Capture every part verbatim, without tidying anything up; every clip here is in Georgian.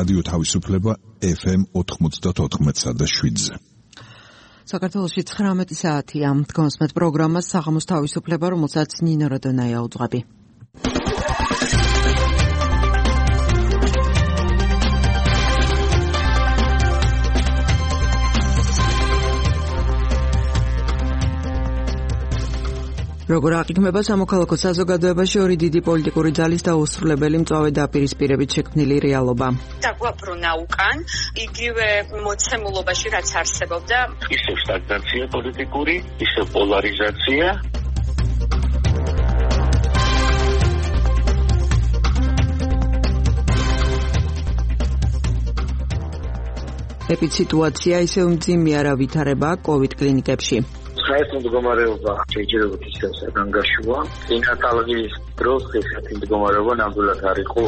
რადიო თავისუფლება ეფ ემ ოთხმოცდაოთხ და შვიდზე. საქართველოში ცხრამეტი საათია. დგომსმეთ პროგრამას საღამოს თავისუფლება, რომელსაც ნინო როდონაია უძღვები. როგორ აღიქმება სამოქალაქო საზოგადოებაში ორი დიდი პოლიტიკური ძალის დაუსრულებელი მწვავე დაპირისპირებით შექმნილი რეალობა. დაგვაბრუნა უკან იგივე მოცემულობაში რაც არსებობდა, ისევ სტაგნაცია პოლიტიკური, ისევ პოლარიზაცია. ეპიციტუაცია ისევ მძიმეა რა ვითარება კოვიდ კლინიკებში. საერთო მდგომარეობა შეიძლება ისევ საგანგაშოა. წინათალღის დროს ესეთი მდგომარეობა ნამდვილად არ იყო.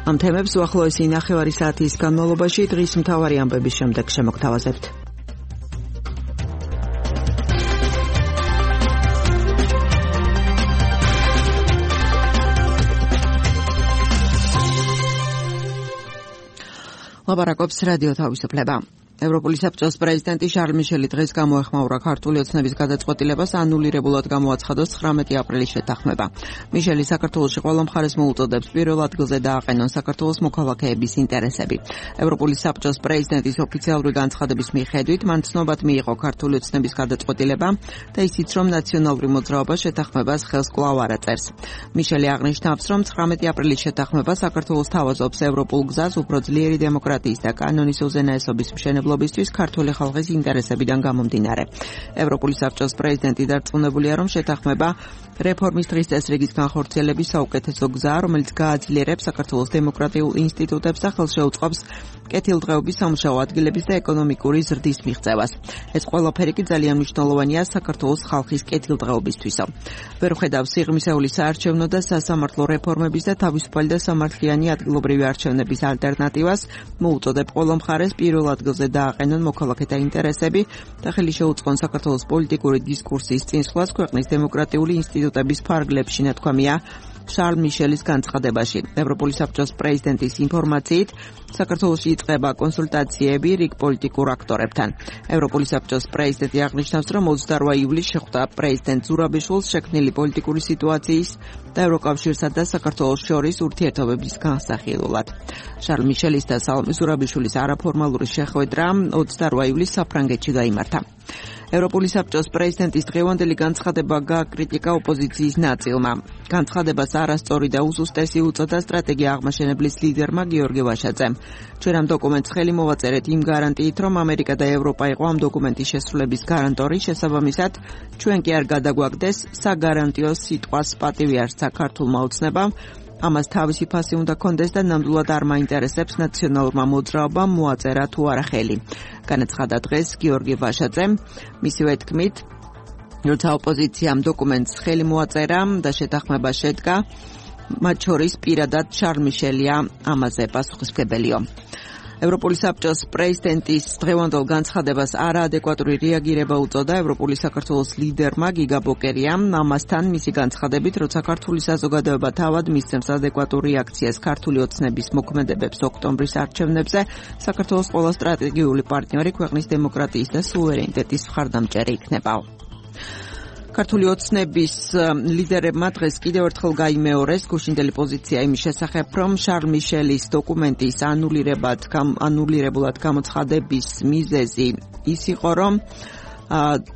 ამ თემებს უახლოესი ნახევარი საათის განმავლობაში დღის მთავარი ამბების შემდეგ შემოგთავაზებთ. ლაპარაკობს რადიო თავისუფლება. ევროპული საბჭოს პრეზიდენტი შარლ მიშელი დღეს გამოეხმაურა ქართული ოცნების გადაწყვეტილებას ანულირებულად გამოაცხადოს ცხრამეტი აპრილის შეთანხმება. მიშელი საქართველოში ყველა მხარეს მოუწოდებს პირველ ადგილზე დააყენონ საქართველოს მოქალაქეების ინტერესები. ევროპული საბჭოს პრეზიდენტის ოფიციალური განცხადების მიხედვით მან ცნობად მიიღო ქართული ოცნების გადაწყვეტილება და ისიც რომ ნაციონალური მოძრაობა შეთანხმებას ხელს კვლავ არ აწერს. მიშელი აღნიშნავს, რომ ცხრამეტი აპრილის შეთანხმება საქართველოს თავაზობს ევროპულ გზას უფრო ძლიერი დემოკრატიის და კანონის უზენაესობის მშენებლობისთვის ლობისთვის ქართული ხალხის ინტერესებიდან გამომდინარე. ევროპული საბჭოს პრეზიდენტი დარწმუნებულია, რომ შეთანხმება რეფორმის დღის წესრიგის განხორციელების საუკეთესო გზაა, რომელიც გააძლიერებს საქართველოს დემოკრატიულ ინსტიტუტებს და ხელს შეუწყობს კეთილდღეობის სამუშაო ადგილების და ეკონომიკური ზრდის მიღწევას. ეს ყველაფერი კი ძალიან მნიშვნელოვანია საქართველოს ხალხის კეთილდღეობისთვისო. ვერ ხედავს სიღრმისეული საარჩევნო და სასამართლო რეფორმების და თავისუფალი და სამართლიანი ადგილობრივი არჩევნების ალტერნატივას, მოუწოდებ ყველა მხარეს პირველ ადგილზე დააყენონ მოქალაქეთა ინტერესები და ხელი შეუწყონ საქართველოს პოლიტიკური დისკურსის წინსვლას ქვეყნის დემოკრატიული ინსტიტუტების ფარგლებში, ნათქვამია შარლ მიშელის განცხადებაში. ევროპული საბჭოს პრეზიდენტის ინფორმაციით, საქართველოში იწყება კონსულტაციები რიგ პოლიტიკურ აქტორებთან. ევროპული საბჭოს პრეზიდენტი აღნიშნავს, რომ ოცდაორი ივლისს შეხვდა პრეზიდენტ ზურაბიშვილს შექმნილი პოლიტიკური სიტუაციის და ევროკავშირსა და საქართველოს შორის ურთიერთობების განსახილულად. შარლ მიშელის და სალომე ზურაბიშვილის არაფორმალური შეხვედრა ოცდაორი ივლისს საფრანგეთში გაიმართა. ევროპული საბჭოს პრეზიდენტის დღევანდელი განცხადება გააკრიტიკა ოპოზიციის ნაწილმა. განცხადებას არასწორი და უზუსტესი უწოდა სტრატეგია აღმაშენებლის ლიდერმა გიორგი ვაშაძემ. ჩვენ ამ დოკუმენტს ხელი მოვაწერეთ იმ გარანტიით, რომ ამერიკა და ევროპა იყო ამ დოკუმენტის შესრულების გარანტორი, შესაბამისად, ჩვენ კი არ გადაგვაგდეს საგარანტიო სიტყვას პატივი არსა ქართულმა ოცნებამ. ამას თავისი ფასი უნდა კონდეს და ნამდვილად არ მაინტერესებს ნაციონალურმა მოძრაობამ მოაწერა თუ არა ხელი. განაცხადა დღეს გიორგი ვაშაძემ. მისივე თქმით, როცა ოპოზიციამ დოკუმენტს ხელი მოაწერა და შეთანხმება შედგა, მათ შორის პირადად შარლ მიშელია ამაზე პასუხისმგებელიო. ევროპული საბჭოს პრეზიდენტის დღევანდელ განცხადებას არაადეკვატური რეაგირება უწოდა ევროპული საქართველოს ლიდერმა გიგა ბოკერიამ. ამასთან მისი განცხადებით, როცა ქართული საზოგადოება თავად მისცემს ადეკვატურ რეაქციას ქართული ოცნების მოქმედებებს ოქტომბრის არჩევნებზე, საქართველოს ყველა სტრატეგიული პარტნიორი ქვეყნის დემოკრატიის და სუვერენიტეტის მხარდამჭერი იქნება. ქართული ოცნების ლიდერებმა დღეს კიდევ ერთხელ გაიმეორეს გუშინდელი პოზიცია იმის შესახებ, რომ შარლ მიშელის დოკუმენტის ანულირებად ანულირებულად გამოცხადების მიზეზი ის იყო, რომ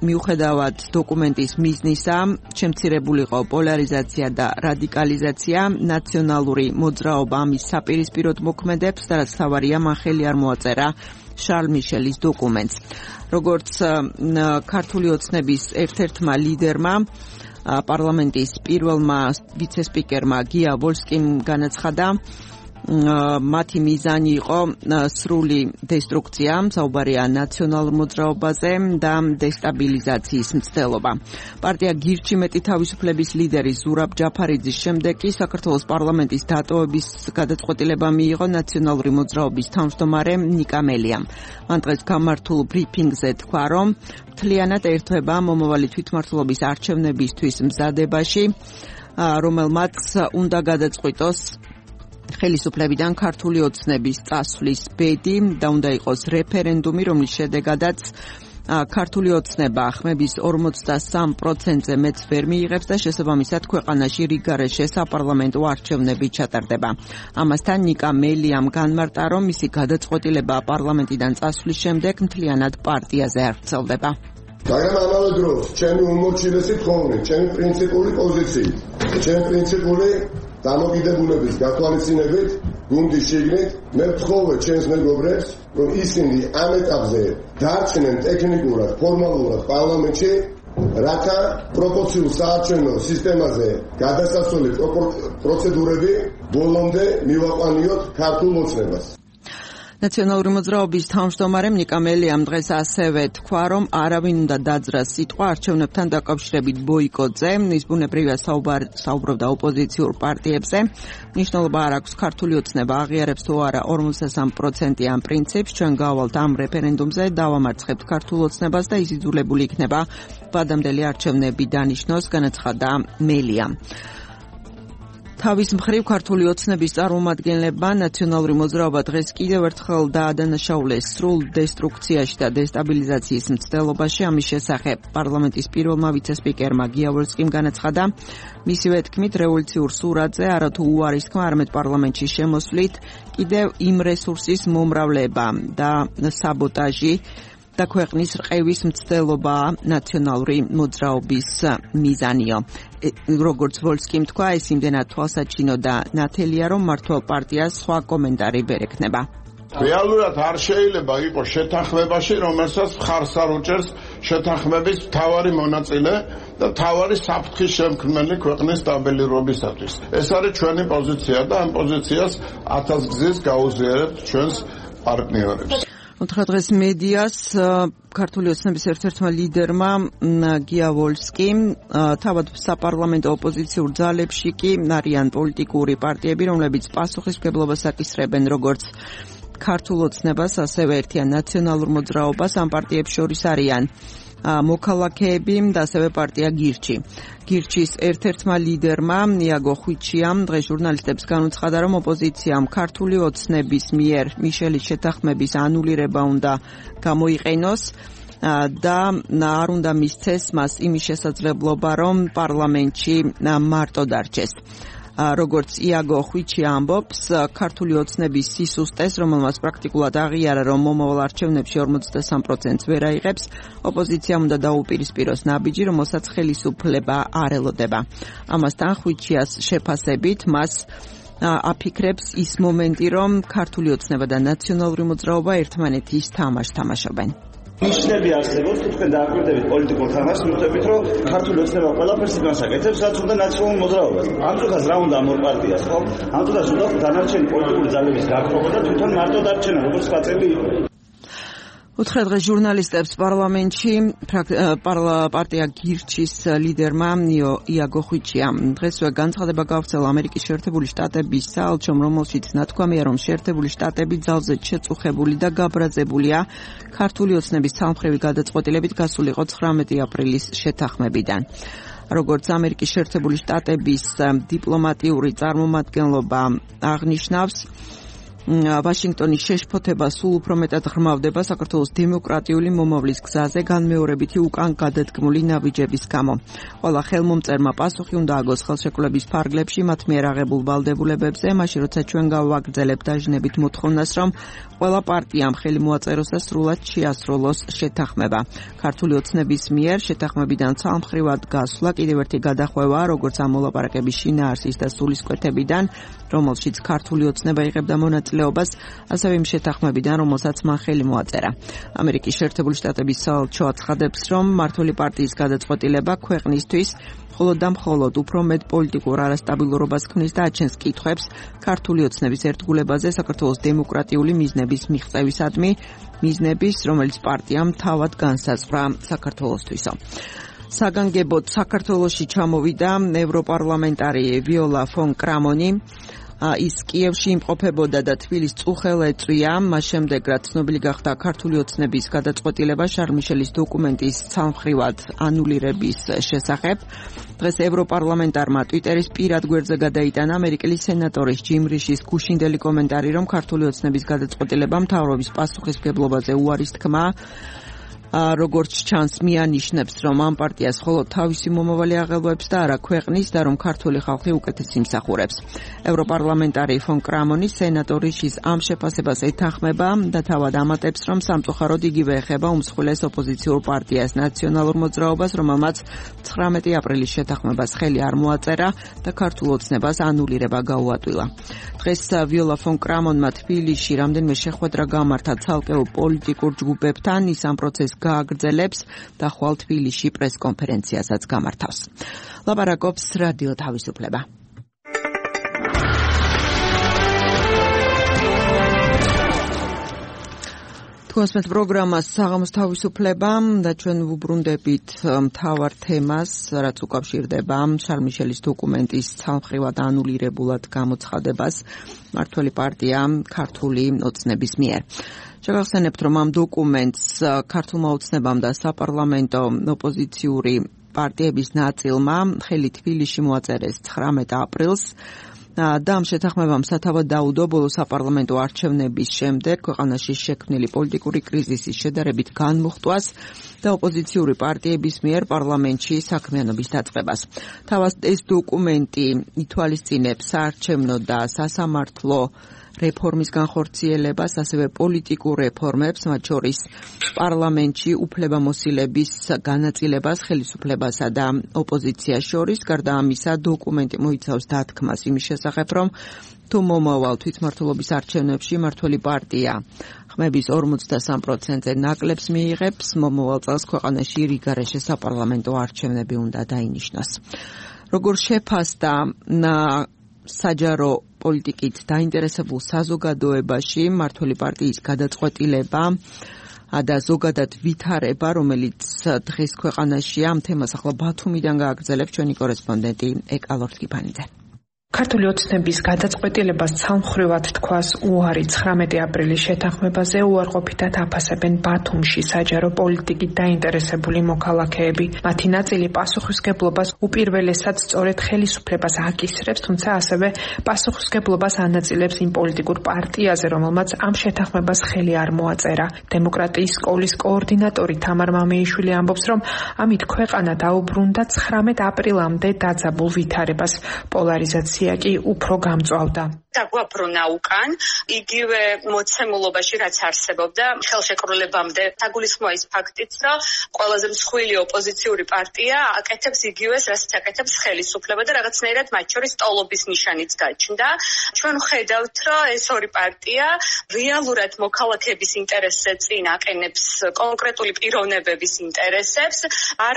მიუხედავად დოკუმენტის მიზნისა, შემცირებულიყო პოლარიზაცია და რადიკალიზაცია, ნაციონალური მოძრაობა ამის საპირისპიროდ მოქმედებს და რაც თავარია, მან ხელი არ მოაწერა შარლ მიშელის დოკუმენტს. როგორც ქართული ოცნების ერთ-ერთმა ლიდერმა, პარლამენტის პირველმა ვიცესპიკერმა გია ვოლსკიმ განაცხადა, მათი მიზანი იყო სრული დესტრუქცია, საუბარია ნაციონალურ მოძრაობაზე და დესტაბილიზაციის მცდელობა. პარტია გირჩი მეტი თავისუფლების ლიდერი ზურაბ ჯაფარიძის შემდეგ კი საქართველოს პარლამენტის დატოვების გადაწყვეტილება მიიღო ნაციონალური მოძრაობის თავმჯდომარე ნიკა მელიამ. მან დღეს გამართულ ბრიფინგზე თქვა, რომ მთლიანად ერთვება მომავალი თვითმმართველობის არჩევნებისთვის მზადებაში, რომელმაც უნდა გადაწყვიტოს ხელისუფლებიდან ქართული ოცნების წასვლის ბედი და უნდა იყოს რეფერენდუმი, რომლის შედეგადაც ქართული ოცნება ხმების ორმოცდასამ პროცენტზე მეც ვერ მიიღებს და შესაბამისად ქვეყანაში რიგგარეშე საპარლამენტო არჩევნები ჩატარდება. ამასთან ნიკა მელიამ განმარტა, რომ მისი გადაწყვეტილება პარლამენტიდან წასვლის შემდეგ მთლიანად პარტიაზე არ ვრცელდება. მაგრამ ამავე დროს ჩემი უმორჩილესი თხოვნით, ჩემი პრინციპული პოზიციით, ჩემი პრინციპული დამოკიდებულების გათვალისწინებით, გუნდის შიგნით, მე ვთხოვე ჩემს მეგობრებს, რომ ისინი ამ ეტაპზე დარჩნენ ტექნიკურად, ფორმალურად პარლამენტში, რათა პროპორციულ საარჩევნო სისტემაზე გადასასვლელი პროცედურები ბოლომდე მივაყვანიოთ ქართულ ოცნებას. ნაციონალური მოძრაობის თავმჯდომარემ ნიკა მელიამ დღეს ასევე თქვა, რომ არავინ უნდა დაძრას სიტყვა არჩევნებთან დაკავშირებით ბოიკოტზე. ის ბუნებრივია საუბრობდა ოპოზიციურ პარტიებზე. მნიშვნელობა არ აქვს ქართული ოცნება აღიარებს თუ არა ორმოცდასამ პროცენტიან პრინციპს. ჩვენ გავვალთ ამ რეფერენდუმზე, დავამარცხებთ ქართულ ოცნებას და ის იძულებული იქნება ვადამდელი არჩევნები დანიშნოს, განაცხადა მელიამ. თავის მხრივ ქართული ოცნების წარმომადგენლებმა ნაციონალური მოძრაობა დღეს კიდევ ერთხელ დაადანაშაულეს სრულ დესტრუქციაში და დესტაბილიზაციის მცდელობაში. ამის შესახებ პარლამენტის პირველმა ვიცე-სპიკერმა გიავორსკიმ განაცხადა, მისივე თქმით რევოლუციურ სურათზე არათუ უარის თქმა, არამედ პარლამენტში შემოსვლით კიდევ იმ რესურსის მომრავლება და საბოტაჟი და ქვეყნის რყევის მცდელობა ნაციონალური მოძრაობის მიზანიო. როგორც ვოლსკიმ თქვა, ეს იმდენად თვალსაჩინო და ნათელია, რომ მართლ პარტიას სხვა კომენტარი ვერ ექნება. რეალურად არ შეიძლება იყოს შეთანხმებაში, რომელსაც მხარს არ უჭერს შეთანხმების მთავარი მონაწილე და მთავარი საფრთხის შემქმნელი ქვეყნის სტაბილურობისათვის. ეს არის ჩვენი პოზიცია და ამ პოზიციას ათასგზის გაუზიარებთ ჩვენს პარტნიორებს. უთხრა დღეს მედიას ქართული ოცნების ერთ-ერთმა ლიდერმა გია ვოლსკიმ, თავად საპარლამენტო ოპოზიციურ ძალებში კი არიან პოლიტიკური პარტიები, რომლებიც პასუხისმგებლობას აკისრებენ როგორც ქართულ ოცნებას, ასევე ერთიან ნაციონალურ მოძრაობას. ამ პარტიებს შორის არიან მოქალაქეები და ასევე პარტია გირჩი. გირჩის ერთ-ერთმა ლიდერმა იაგო ხვიჩიამ დღეს ჟურნალისტებს განუცხადა, რომ ოპოზიციამ ქართული ოცნების მიერ მიშელის შეთანხმების ანულირება უნდა გამოიყენოს და არ უნდა მისცეს მას იმის შესაძლებლობა, რომ პარლამენტში მარტო დარჩეს. როგორც იაგო ხვიჩი ამბობს, ქართული ოცნების სისუსტეს, რომელმაც პრაქტიკულად აღიარა, რომ მომავალ არჩევნებში ორმოცდასამ პროცენტს ვერ აიღებს, ოპოზიციამ უნდა დაუპირისპიროს ნაბიჯი, რომელსაც ხელისუფლება არ ელოდება. ამასთან ხვიჩიას შეფასებით მას აფიქრებს ის მომენტი, რომ ქართული ოცნება და ნაციონალური მოძრაობა ერთმანეთის თამაშს თამაშობენ. ნიშნები არსებობს, თუ თქვენ დააკვირდებით პოლიტიკურ თამაშს, მივხვდებით, რომ ქართული ოცნება ყველაფერს იმას აკეთებს, რაც უნდა ნაციონალურ მოძრაობას. ამ დროსაც რა უნდა ამ ორ პარტიას, ხო? ამ დროსაც უნდა დანარჩენი პოლიტიკური ძალების გაქრობა და თვითონ მარტო დარჩენა, როგორც სპაწელი იყო. უთხრა დღეს ჟურნალისტებს პარლამენტში პარტია გირჩის ლიდერმა იაგო ხვიჩიამ. დღესვე განცხადება გავრცელა ამერიკის შეერთებული შტატების საელჩომ, რომელშიც ნათქვამია, რომ შეერთებული შტატები ძალზედ შეწუხებული და გაბრაზებულია ქართული ოცნების ცალმხრივი გადაწყვეტილებით გასულიყო ცხრამეტი აპრილის შეთანხმებიდან. როგორც ამერიკის შეერთებული შტატების დიპლომატიური წარმომადგენლობა აღნიშნავს, ვაშინგტონის შეშფოთება სულ უფრო მეტად ღრმავდება საქართველოს დემოკრატიული მომავლის გზაზე განმეორებითი უკან გადადგმული ნაბიჯების გამო. ყველა ხელმომწერმა პასუხი უნდა აგოს ხელშეკრულების ფარგლებში მათ მიერ აღებულ ვალდებულებებზე, მაშინ როცა ჩვენ გავაგრძელებთ დაჟინებით მოთხოვნას, რომ ყველა პარტიამ ხელი მოაწეროს და სრულად შეასრულოს შეთანხმება. ქართული ოცნების მიერ შეთანხმებიდან ცალმხრივად გასვლა კიდევ ერთი გადახვევა, როგორც ამ მოლაპარაკების შინაარსის და სულისკვეთებიდან, რომელშიც ქართული ოცნება იღებდა მონაწილეობას მონაწილეობას, ასევე იმ შეთანხმებიდან, რომელსაც მან ხელი მოაწერა. ამერიკის შეერთებული შტატების საელჩო აცხადებს, რომ მმართველი პარტიის გადაწყვეტილება ქვეყნისთვის მხოლოდ და მხოლოდ უფრო მეტ პოლიტიკურ არასტაბილურობას ქმნის და აჩენს კითხვებს ქართული ოცნების ერთგულებაზე საქართველოს დემოკრატიული მიზნების მიღწევისადმი, მიზნების, რომელიც პარტიამ თავად განსაზღვრა საქართველოსთვისო. საგანგებოდ საქართველოში ჩამოვიდა ევროპარლამენტარი ვიოლა ფონ კრამონი. ის კიევში იმყოფებოდა და თბილის წუხელ ეწვია, მას შემდეგ რაც ცნობილი გახდა ქართული ოცნების გადაწყვეტილება შარლ მიშელის დოკუმენტის ცალმხრივად ანულირების შესახებ. დღეს ევროპარლამენტარმა ტვიტერის პირად გვერდზე გადაიტანა ამერიკელი სენატორის ჯიმ რიშის გუშინდელი კომენტარი, რომ ქართული ოცნების გადაწყვეტილება მთავრობის პასუხისმგებლობაზე უარის თქმა. როგორც ჩანს, მიანიშნებს, რომ ამ პარტიას მხოლოდ თავისი მომავალი აღელვებს და არა ქვეყნის და რომ ქართული ხალხი უკეთეს იმსახურებს. ევროპარლამენტარი ფონ კრამონი სენატორის ის ამ შეფასებას ეთანხმება და თავად ამატებს, რომ სამწუხაროდ იგივე ეხება უმსხვილეს ოპოზიციურ პარტიას ნაციონალურ მოძრაობას, რომელმაც ცხრამეტი აპრილის შეთანხმებას ხელი არ მოაწერა და ქართულ ოცნებას ანულირება გაუადვილა. დღეს ვიოლა ფონ კრამონმა თბილისში რამდენიმე შეხვედრა გამართა ცალკეულ პოლიტიკურ ჯგუფებთან, ის ამ პროცესს გააგრძელებს და ხვალ თბილისში პრესკონფერენციასაც გამართავს. ლაპარაკობს რადიო თავისუფლება. თქვენს პროგრამას საღამოს თავისუფლება და ჩვენ ვუბრუნდებით მთავარ თემას, რაც უკავშირდება შარლ მიშელის დოკუმენტის ცალმხრივად ანულირებულად გამოცხადებას მმართველი პარტია ქართული ოცნების მიერ. შეგახსენებთ, რომ ამ დოკუმენტს ქართულმა ოცნებამ და საპარლამენტო ოპოზიციური პარტიების ნაწილმა ხელი თბილისში მოაწერეს ცხრამეტ აპრილს და ამ შეთანხმებამ სათავად დაუდო ბოლო საპარლამენტო არჩევნების შემდეგ ქვეყანაში შექმნილი პოლიტიკური კრიზისის შედარებით განმუხტვას და ოპოზიციური პარტიების მიერ პარლამენტში საქმიანობის დაწყებას. თავად ეს დოკუმენტი ითვალისწინებს საარჩევნო და სასამართლო რეფორმის განხორციელებას, ასევე პოლიტიკურ რეფორმებს, მათ შორის პარლამენტში უფლებამოსილების განაწილებას ხელისუფლებასა და ოპოზიციას შორის. გარდა ამისა, დოკუმენტი მოიცავს დათქმას იმის შესახებ, რომ თუ მომავალ თვითმმართველობის არჩევნებში მმართველი პარტია ხმების ორმოცდასამ პროცენტზე ნაკლებს მიიღებს, მომავალ წელს ქვეყანაში რიგარეშე საპარლამენტო არჩევნები უნდა დაინიშნოს. როგორ შეფასდა საჯარო პოლიტიკით დაინტერესებულ საზოგადოებაში მმართველი პარტიის გადაწყვეტილება და ზოგადად ვითარება, რომელიც დღეს ქვეყანაშია, ამ თემას ახლა ბათუმიდან გააგრძელებს ჩვენი კორესპონდენტი ეკალორთ კიფანიძე. ქართული ოცნების გადაწყვეტილებას ცალმხრივად თქვას უარი ცხრამეტი აპრილის შეთანხმებაზე უარყოფითად აფასებენ ბათუმში საჯარო პოლიტიკით დაინტერესებული მოქალაქეები. მათი ნაწილი პასუხისმგებლობას უპირველესად სწორედ ხელისუფლებას აკისრებს, თუმცა ასევე პასუხისმგებლობას ანაწილებს იმ პოლიტიკურ პარტიაზე, რომელმაც ამ შეთანხმებას ხელი არ მოაწერა. დემოკრატიის სკოლის კოორდინატორი თამარ მამეიშვილი ამბობს, რომ ამით ქვეყანა დაუბრუნდა ცხრამეტ აპრილამდე დაძაბულ ვითარებას. პოლარიზაცია კი უფრო გამწვავდა. დაგვაბრუნა უკან იგივე მოცემულობაში, რაც არსებობდა ხელშეკრულებამდე. დაგულისხმოა ის ფაქტიც, რომ ყველაზე მსხვილი ოპოზიციური პარტია აკეთებს იგივეს, რასაც აკეთებს ხელისუფლება და რაღაცნაირად მათ შორის ტოლობის ნიშანიც გაჩნდა. ჩვენ ხედავთ, რომ ეს ორი პარტია რეალურად მოქალაქეების ინტერესზე წინ აყენებს კონკრეტული პიროვნებების ინტერესებს, არ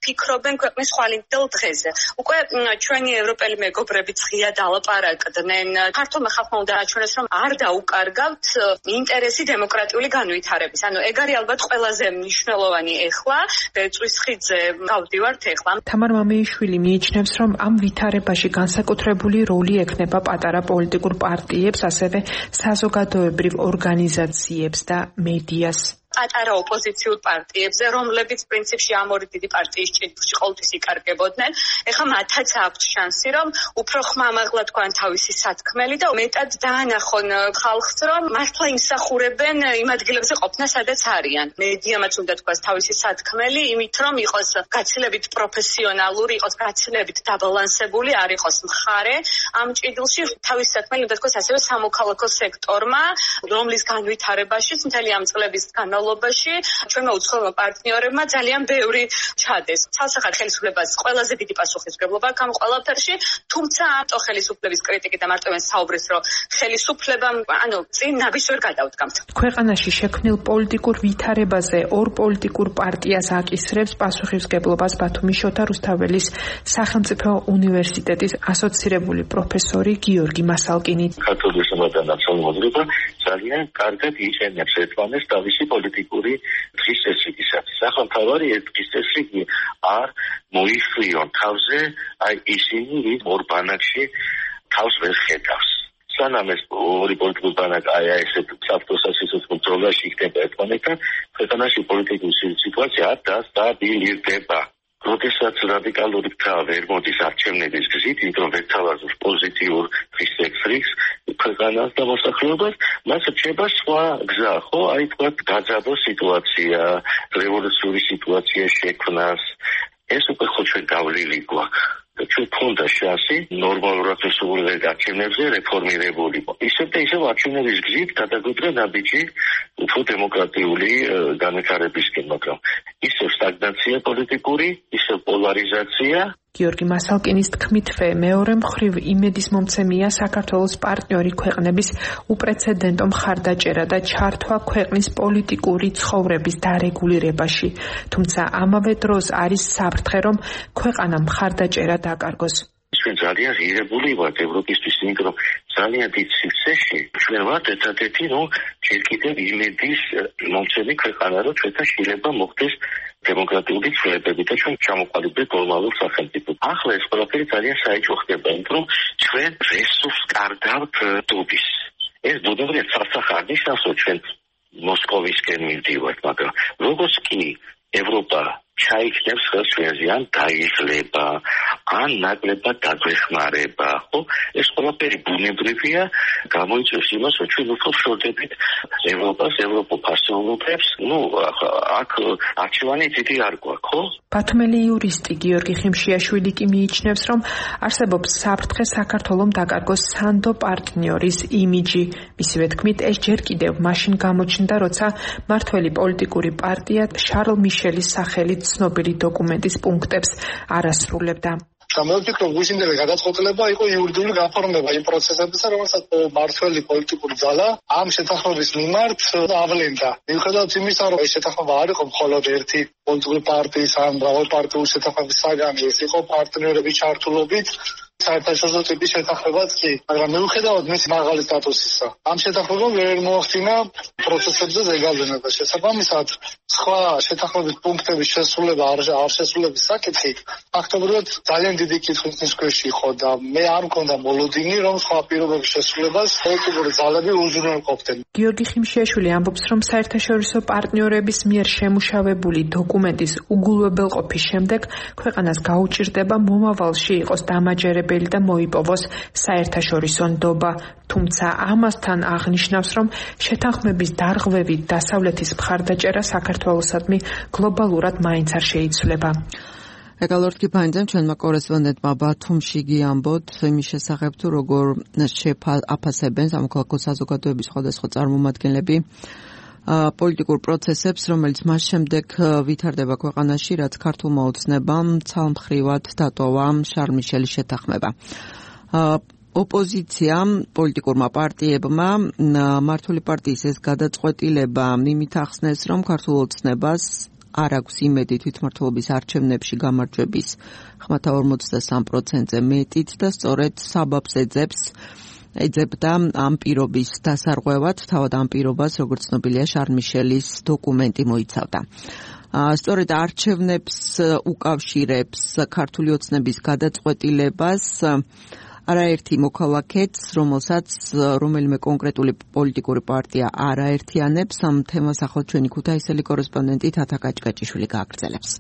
ფიქრობენ ქვეყნის ხვალინდელ დღეზე. უკვე ჩვენი ევროპელი მეგობრებიც ღიად ალაპარაკდნენ. ქართულმა ხალხმა უნდა აჩვენოს, რომ არ დაუკარგავთ ინტერესი დემოკრატიული განვითარების. ანუ ეგ არის ალბათ ყველაზე მნიშვნელოვანი ეხლა, ბეწვის ხიდზე გავდივართ ეხლა. თამარ მამეიშვილი მიიჩნევს, რომ ამ ვითარებაში განსაკუთრებული როლი ექნება პატარა პოლიტიკურ პარტიებს, ასევე საზოგადოებრივ ორგანიზაციებს და მედიას. პატარა ოპოზიციურ პარტიებზე, რომლებიც პრინციპში ამ ორი დიდი პარტიის ჭრილში ყოველთვის იკარგებოდნენ. ეხლა მათაც აქვთ შანსი, რომ უფრო ხმამაღლა თქვან თავისი სათქმელი და მეტად დაანახონ ხალხს, რომ მართლა იმსახურებენ იმ ადგილებზე ყოფნა, სადაც არიან. მედიამაც უნდა თქვას თავისი სათქმელი, იმით რომ იყოს გაცილებით პროფესიონალური, იყოს გაცილებით დაბალანსებული, არ იყოს მხარე. ამ ჭრილში თავისი სათქმელი უნდა თქვას ასევე სამოქალაქო სექტორმა, რომლის განვითარებაშიც მთელი ამ წლების განმავლობაში განმავლობაში ჩვენმა უცხოელმა პარტნიორებმა ძალიან ბევრი ჩადეს. ცალსახად ხელისუფლებას ყველაზე დიდი პასუხისმგებლობა აქვს ამ ყველაფერში, თუმცა ამ ხელისუფლების კრიტიკი და მარტო საუბრის, რომ ხელისუფლებამ ანუ წინ ნაბის ვერ გადავდგამთ. ქვეყანაში შექმნილ პოლიტიკურ ვითარებაზე ორ პოლიტიკურ პარტიას აკისრებს პასუხისმგებლობას ბათუმის შოთა რუსთაველის სახელმწიფო უნივერსიტეტის ასოცირებული პროფესორი გიორგი მასალკინი. ქართული სამართალ და ნაციონალურობა ძალიან კარგად იყენებს ერთმანეთს თავისი პოლიტიკური დღის წესრიგისათვის. სახელმთავარი ერთ დღის წესრიგი არ მოიხლიონ თავზე, აი ისინი ვით ორ ბანაკში თავს ვერ ხედავს. სანამ ეს ორი პოლიტიკური ბანაკი აი ესეთ საფრთხესასისოს ბრძოლაში იქნება ერთმანეთთან, ქვეყანაში პოლიტიკური სიტუაცია არ დასტაბილიზდება. როდესაც რადიკალური ფრთა ვერ მოდის არჩევნების გზით, იმიტომ ვერ თავაზობს პოზიტიურ დღის წესრიგს ქვეყანას და მოსახლეობას, მას რჩება სხვა გზა, ხო? აი თქვა გაძაბო სიტუაცია, რევოლუციური სიტუაცია შექმნას. ეს უკვე ხო ჩვენ გავლილი გვაქვს. ჩვენ ქონდა შანსი ნორმალურად შესრულებულ არჩევნებზე რეფორმირებული. ისევ და ისევ არჩევნების გზით გადაგვიდგა ნაბიჯი უფრო დემოკრატიული განვითარებისკენ, მაგრამ ისევ სტაგნაცია პოლიტიკური, ისევ პოლარიზაცია. გიორგი მასალკინის თქმითვე მეორე მხრივ იმედის მომცემია საქართველოს პარტნიორი ქვეყნების უპრეცედენტო მხარდაჭერა და ჩართვა ქვეყნის პოლიტიკური ცხოვრების დარეგულირებაში, თუმცა ამავე დროს არის საფრთხე, რომ ქვეყანამ მხარდაჭერა დაკარგოს. ჩვენ ძალიან ღირებული ვართ ევროპისთვის, იმიტომ რომ ძალიან დიდ სივრცეში ჩვენ ვართ ერთადერთი, რომ ჯერ კიდევ იმედის მომცემი ქვეყანა, რომ ჩვენთან შეიძლება მოხდეს დემოკრატიული ცვლილებები და ჩვენ ჩამოყალიბდეთ გლობალურ სახელმწიფოდ. ახლა ეს ყველაფერი ძალიან საეჭვო ხდება, იმიტომ რომ ჩვენ რესურს კარგავთ დუბის. ეს ბუნებრივია სასახარ ნიშნავს, რომ ჩვენ მოსკოვისკენ მივდივართ, მაგრამ როგორც კი ევროპა ჩაიქნებს ხელს ჩვენზე, ან დაიღლება, ან ნაკლებად დაგვეხმარება, ხო? ეს ყველაფერი ბუნებრივია, გამოიწვევს იმას, რომ ჩვენ უფრო ვშორდებით ევროპას, ევროპულ ფასეულობებს. ნუ აქ არჩევანი დიდი არ გვაქვს, ხო? ბათუმელი იურისტი გიორგი ხიმშიაშვილი კი მიიჩნევს, რომ არსებობს საფრთხე საქართველოს დაკარგოს სანდო პარტნიორის იმიჯი. მისივე თქმით, ეს ჯერ კიდევ მაშინ გამოჩნდა, როცა მართველი პოლიტიკური პარტია შარლ მიშელის სახელით ცნობილი დოკუმენტის პუნქტებს არ ასრულებდა. და მე ვფიქრობ, უშინდელი გადაწყვეტილება იყო იურიდიული გაფორმება იმ პროცესებისა, რომელსაც მართველი პოლიტიკური ძალა ამ შეთანხმების მიმართ ავლენდა. მიუხედავად იმისა, რომ ეს შეთანხმება არ იყო მხოლოდ ერთი პოლიტიკური პარტიის ან მრავალპარტიული შეთანხმების საგანი, ეს იყო პარტნიორების ჩართულობით საერთაშორისო ტიპის შეთანხმებაც კი, მაგრამ მიუხედავად მის მაღალი სტატუსისა, ამ შეთანხმებამ ვერ მოახდინა პროცესებზე ზეგავლენა და შესაბამისად სხვა შეთანხმების პუნქტების შესრულება არ შესრულების საკითხი ფაქტობრივად ძალიან დიდი კითხვის ქვეშ იყო და მე არ მქონდა მოლოდინი, რომ სხვა პირობების შესრულებას პოლიტიკური ძალები უზრუნველყოფდნენ. გიორგი ხიმშიაშვილი ამბობს, რომ საერთაშორისო პარტნიორების მიერ შემუშავებული დოკუმენტის უგულებელყოფის შემდეგ ქვეყანას გაუჭირდება მომავალში იყოს დამაჯერებელი და მოიპოვოს საერთაშორისო ნდობა, თუმცა ამასთან აღნიშნავს, რომ შეთანხმების დარღვევით დასავლეთის მხარდაჭერა საქართველოსადმი გლობალურად მაინც არ შეიცვლება. ეკალორდ კიფაინძემ ჩვენმა კორესპონდენტმა ბათუმში გიამბოთ იმის შესახებ, თუ როგორ შეაფასებენ სამოქალაქო საზოგადოების სხვადასხვა წარმომადგენლები პოლიტიკურ პროცესებს, რომელიც მას შემდეგ ვითარდება ქვეყანაში, რაც ქართულმა ოცნებამ ცალმხრივად დატოვა შარლ მიშელის შეთანხმება. ოპოზიციამ, პოლიტიკურმა პარტიებმა მართული პარტიის ეს გადაწყვეტილება იმით ახსნეს, რომ ქართულ ოცნებას არ აქვს იმედი თვითმმართველობის არჩევნებში გამარჯვების ხმათა ორმოცდასამ პროცენტზე მეტით და სწორედ საბაბს ეძებს ეძებდა ამ პირობის დასარღვევად, თავად ამ პირობას, როგორც ცნობილია, შარლ მიშელის დოკუმენტი მოიცავდა. სწორედ არჩევნებს უკავშირებს ქართული ოცნების გადაწყვეტილებას არაერთი მოქალაქეც, რომელსაც რომელიმე კონკრეტული პოლიტიკური პარტია არ აერთიანებს, ამ თემას ახლა ჩვენი ქუთაისელი კორესპონდენტი თათა კაჭკაჭიშვილი გააგრძელებს.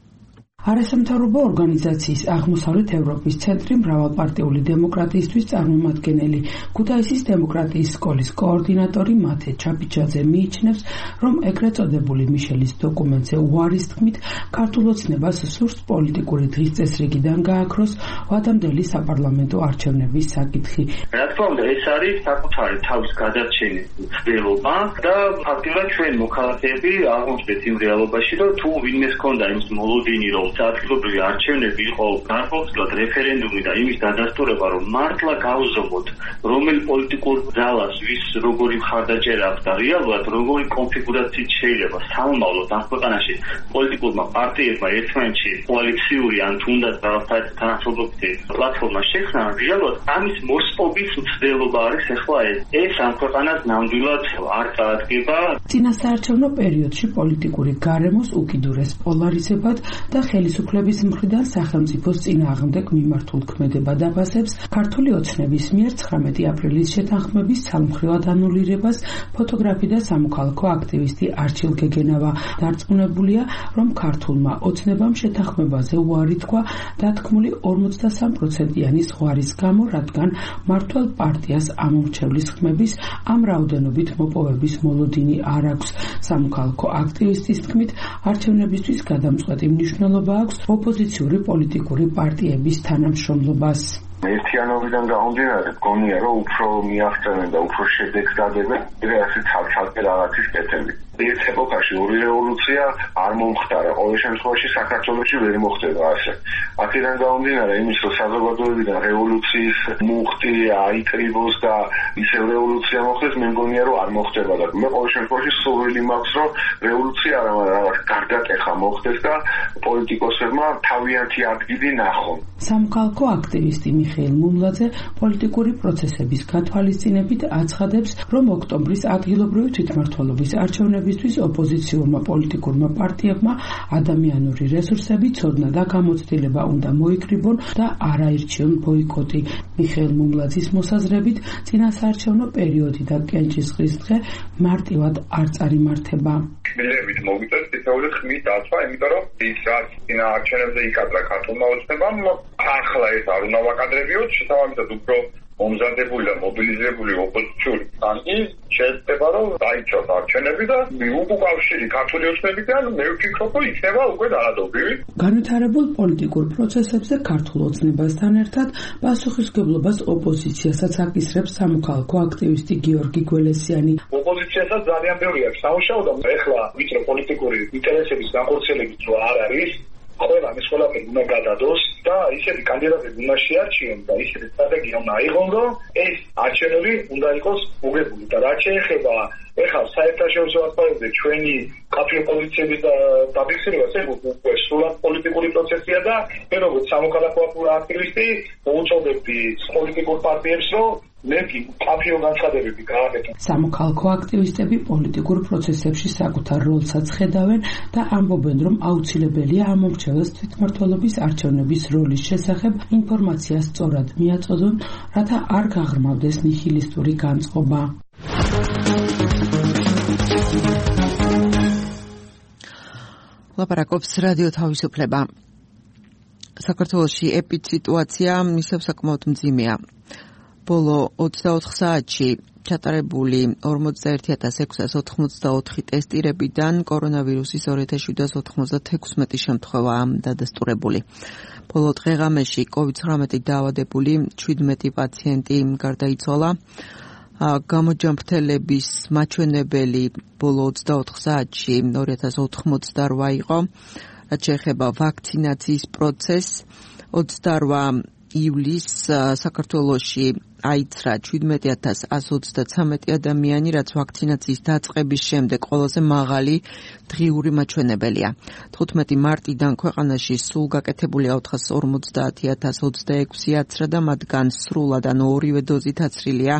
არასამთავრობო ორგანიზაციის აღმოსავლეთ ევროპის ცენტრი მრავალპარტიული დემოკრატიისთვის წარმომადგენელი ქუთაისის დემოკრატიის სკოლის კოორდინატორი მათე ჩაფიჩაძე მიიჩნევს, რომ ეგრეთ წოდებული მიშელის დოკუმენტზე უარის თქმით ქართულ ოცნებას სურს პოლიტიკური დღის წესრიგიდან გააქროს ვადამდელი საპარლამენტო არჩევნების საკითხი. რა თქმა უნდა, ეს არის საკუთარი თავის გადარჩენის ცდილობა და ფაქტობრივად ჩვენ მოქალაქეები აღმოჩნდეთ იმ რეალობაში, რომ თუ ვინმეს ჰქონდა იმის მოლოდინი, რომ ადგილობრივი არჩევნები იყო განხორციელოთ რეფერენდუმი და იმის დადასტურება, რომ მართლა გავზომოთ რომელი პოლიტიკურ ძალას ვის როგორი მხარდაჭერა აქვს და რეალურად როგორი კონფიგურაციით შეიძლება სამომავლოდ ამ ქვეყანაში პოლიტიკურმა პარტიებმა ერთმანეთში კოალიციური ან თუნდაც რაღაცა თანამშრომლობითი პლატფორმა შექმნა, რეალურად ამის მოსპობის მცდელობა არის ახლა ეს. ეს ამ ქვეყანას ნამდვილად არ წაადგება. წინასაარჩევნო პერიოდში პოლიტიკური გარემოს უკიდურეს პოლარიზებად და ხელისუფლების მხრიდან სახელმწიფოს წინააღმდეგ მიმართულ ქმედება დაფასებს ქართული ოცნების მიერ ცხრამეტი აპრილის შეთანხმების ცალმხრივად ანულირებას ფოტოგრაფი და სამოქალაქო აქტივისტი არჩილ გეგენავა. დარწმუნებულია, რომ ქართულმა ოცნებამ შეთანხმებაზე უარი თქვა დათქმული ორმოცდასამ პროცენტიანი ზღვარის გამო, რადგან მმართველ პარტიას ამომრჩევლის ხმების ამ რაოდენობით მოპოვების მოლოდინი არ აქვს. სამოქალაქო აქტივისტის თქმით, არჩევნებისთვის გადამწყვეტი მნიშვნელობა აქვს ოპოზიციური პოლიტიკური პარტიების თანამშრომლობას. ერთიანობიდან გამომდინარე, გონია, რომ უფრო მიაღწევენ და უფრო შედეგს დადებენ, რასაც ცალ-ცალკე რაღაცის კეთები. ერთ ეპოქაში ორი რევოლუცია არ მომხდარა, ყოველ შემთხვევაში საქართველოში ვერ მოხდება ასე. აქედან გამომდინარე, იმის რომ საზოგადოებიდან რევოლუციის მუხტი აიკრიბოს და ისევ რევოლუცია მოხდეს, მე მგონია, რომ არ მოხდება და მე ყოველ შემთხვევაში სურვილი მაქვს, რომ რევოლუცია რაღაც გარდატეხა მოხდეს და პოლიტიკოსებმა თავიანთი ადგილი ნახონ. სამოქალაქო აქტივისტი მიხეილ მუმლაძე პოლიტიკური პროცესების გათვალისწინებით აცხადებს, რომ ოქტომბრის ადგილობრივი თვითმმართველობის არჩევნებისთვის ოპოზიციურმა პოლიტიკურმა პარტიებმა ადამიანური რესურსები, ცოდნა და გამოცდილება უნდა მოიკრიბონ და არაირჩიონ ბოიკოტი. მიხეილ მუმლაძის მოსაზრებით, წინასაარჩევნო პერიოდი და კენჭისყრის დღე მარტივად არ წარიმართება. მილებით მოგიწევს თითოეული ხმის დაცვა, იმიტომ რომ ის რაც წინა არჩევნებზე იკადრა ქართულმა ოცნებამ, ახლა ეს არ უნდა ვაკადრებიოთ, შესაბამისად უფრო მომზადებული და მობილიზებული ოპოზიციური ფრონტი შეეცდება, რომ დაიცვათ არჩევნები და უკავშირი ქართული ოცნებიდან მე ვფიქრობ, რომ იქნება უკვე დაადობრივი. განვითარებულ პოლიტიკურ პროცესებზე ქართულ ოცნებასთან ერთად პასუხისმგებლობას ოპოზიციასაც აკისრებს სამოქალაქო აქტივისტი გიორგი გველესიანი. ოპოზიციასაც ძალიან ბევრი აქვს სამუშაო და ეხლა ვიწრო პოლიტიკური ინტერესების განხორციელებით რო არ არის, ყველა ეს ყველაფერი უნდა გადადოს და ისეთი კანდიდატები უნდა შეარჩიონ და ისეთი სტრატეგია უნდა აიღონ, რომ ეს არჩევნები უნდა იყოს მოგებული და რაც შეეხება ეხლა საერთაშორისო ასპარეზზე ჩვენი კაფე პოზიციების დაფიქსირებას, ეს უკვე სრულად პოლიტიკური პროცესია და მე როგორც სამოქალაქო აქტივისტი მოუწოდებდი პოლიტიკურ პარტიებს, რომ მეკი კაფეო განცხადებები გააკეთონ. სამოქალაქო აქტივისტები პოლიტიკურ პროცესებში საკუთარ როლსაც ხედავენ და ამბობენ, რომ აუცილებელია ამომრჩეველს თვითმმართველობის არჩევნების როლის შესახებ ინფორმაცია სწორად მიაწოდონ, რათა არ გაღრმავდეს ნიჰილისტური განწყობა. ლაპარაკობს რადიო თავისუფლება. საქართველოში ეპიდსიტუაცია ისევ საკმაოდ მძიმეა. ბოლო ოცდაოთხ საათში ჩატარებული ორმოცდაერთი ათას ექვსას ოთხმოცდაოთხი ტესტირებიდან კორონავირუსის ორი ათას შვიდას ოთხმოცდათექვსმეტი შემთხვევაა დადასტურებული. ბოლო დღე-ღამეში კოვიდ ცხრამეტი დაავადებული შვიდმეტი პაციენტი გარდაიცვალა. გამოჯამრთელების მაჩვენებელი ბოლო ოცდაოთხ საათში ორი ათას ოთხმოცდარვა იყო. რაც შეეხება ვაქცინაციის პროცესს, ოცდარვა ივლისს საქართველოში აიცრა შვიდმეტი ათას ასი ოცდაცამეტი ადამიანი, რაც ვაქცინაციის დაწყების შემდეგ ყველაზე მაღალი დღიური მაჩვენებელია. თხუთმეტი მარტიდან ქვეყანაში სულ გაკეთებულია ოთხას ორმოცდაათი ათას ოცდაექვსი აცრა და მათგან სრულად ან ორივე დოზით აცრილია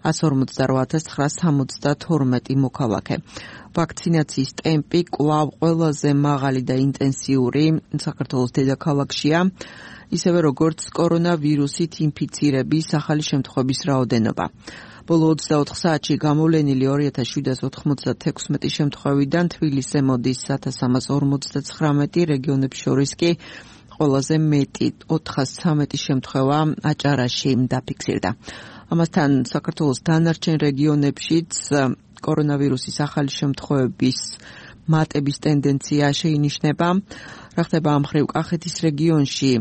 ათას ორმოცდარვა ათას ცხრაას სამოცდათორმეტი მოქალაქე. ვაქცინაციის ტემპი კვლავ ყველაზე მაღალი და ინტენსიური საქართველოს დედაქალაქშია. ისევე როგორც კორონავირუსით ინფიცირების ახალი შემთხვევების რაოდენობა. ბოლო ოცდაოთხ საათში გამოვლენილი ორი ათას შვიდას ოთხმოცდათექვსმეტი შემთხვევიდან თბილისზე მოდის ათას სამას ორმოცდაცხრამეტი, რეგიონებს შორის კი ყველაზე მეტი ოთხას ცხრამეტი შემთხვევა აჭარაში დაფიქსირდა. ამასთან საქართველოს დანარჩენ რეგიონებშიც კორონავირუსის ახალი შემთხვევების მატების ტენდენცია შეინიშნება. რა ხდება ამ მხრივ კახეთის რეგიონში,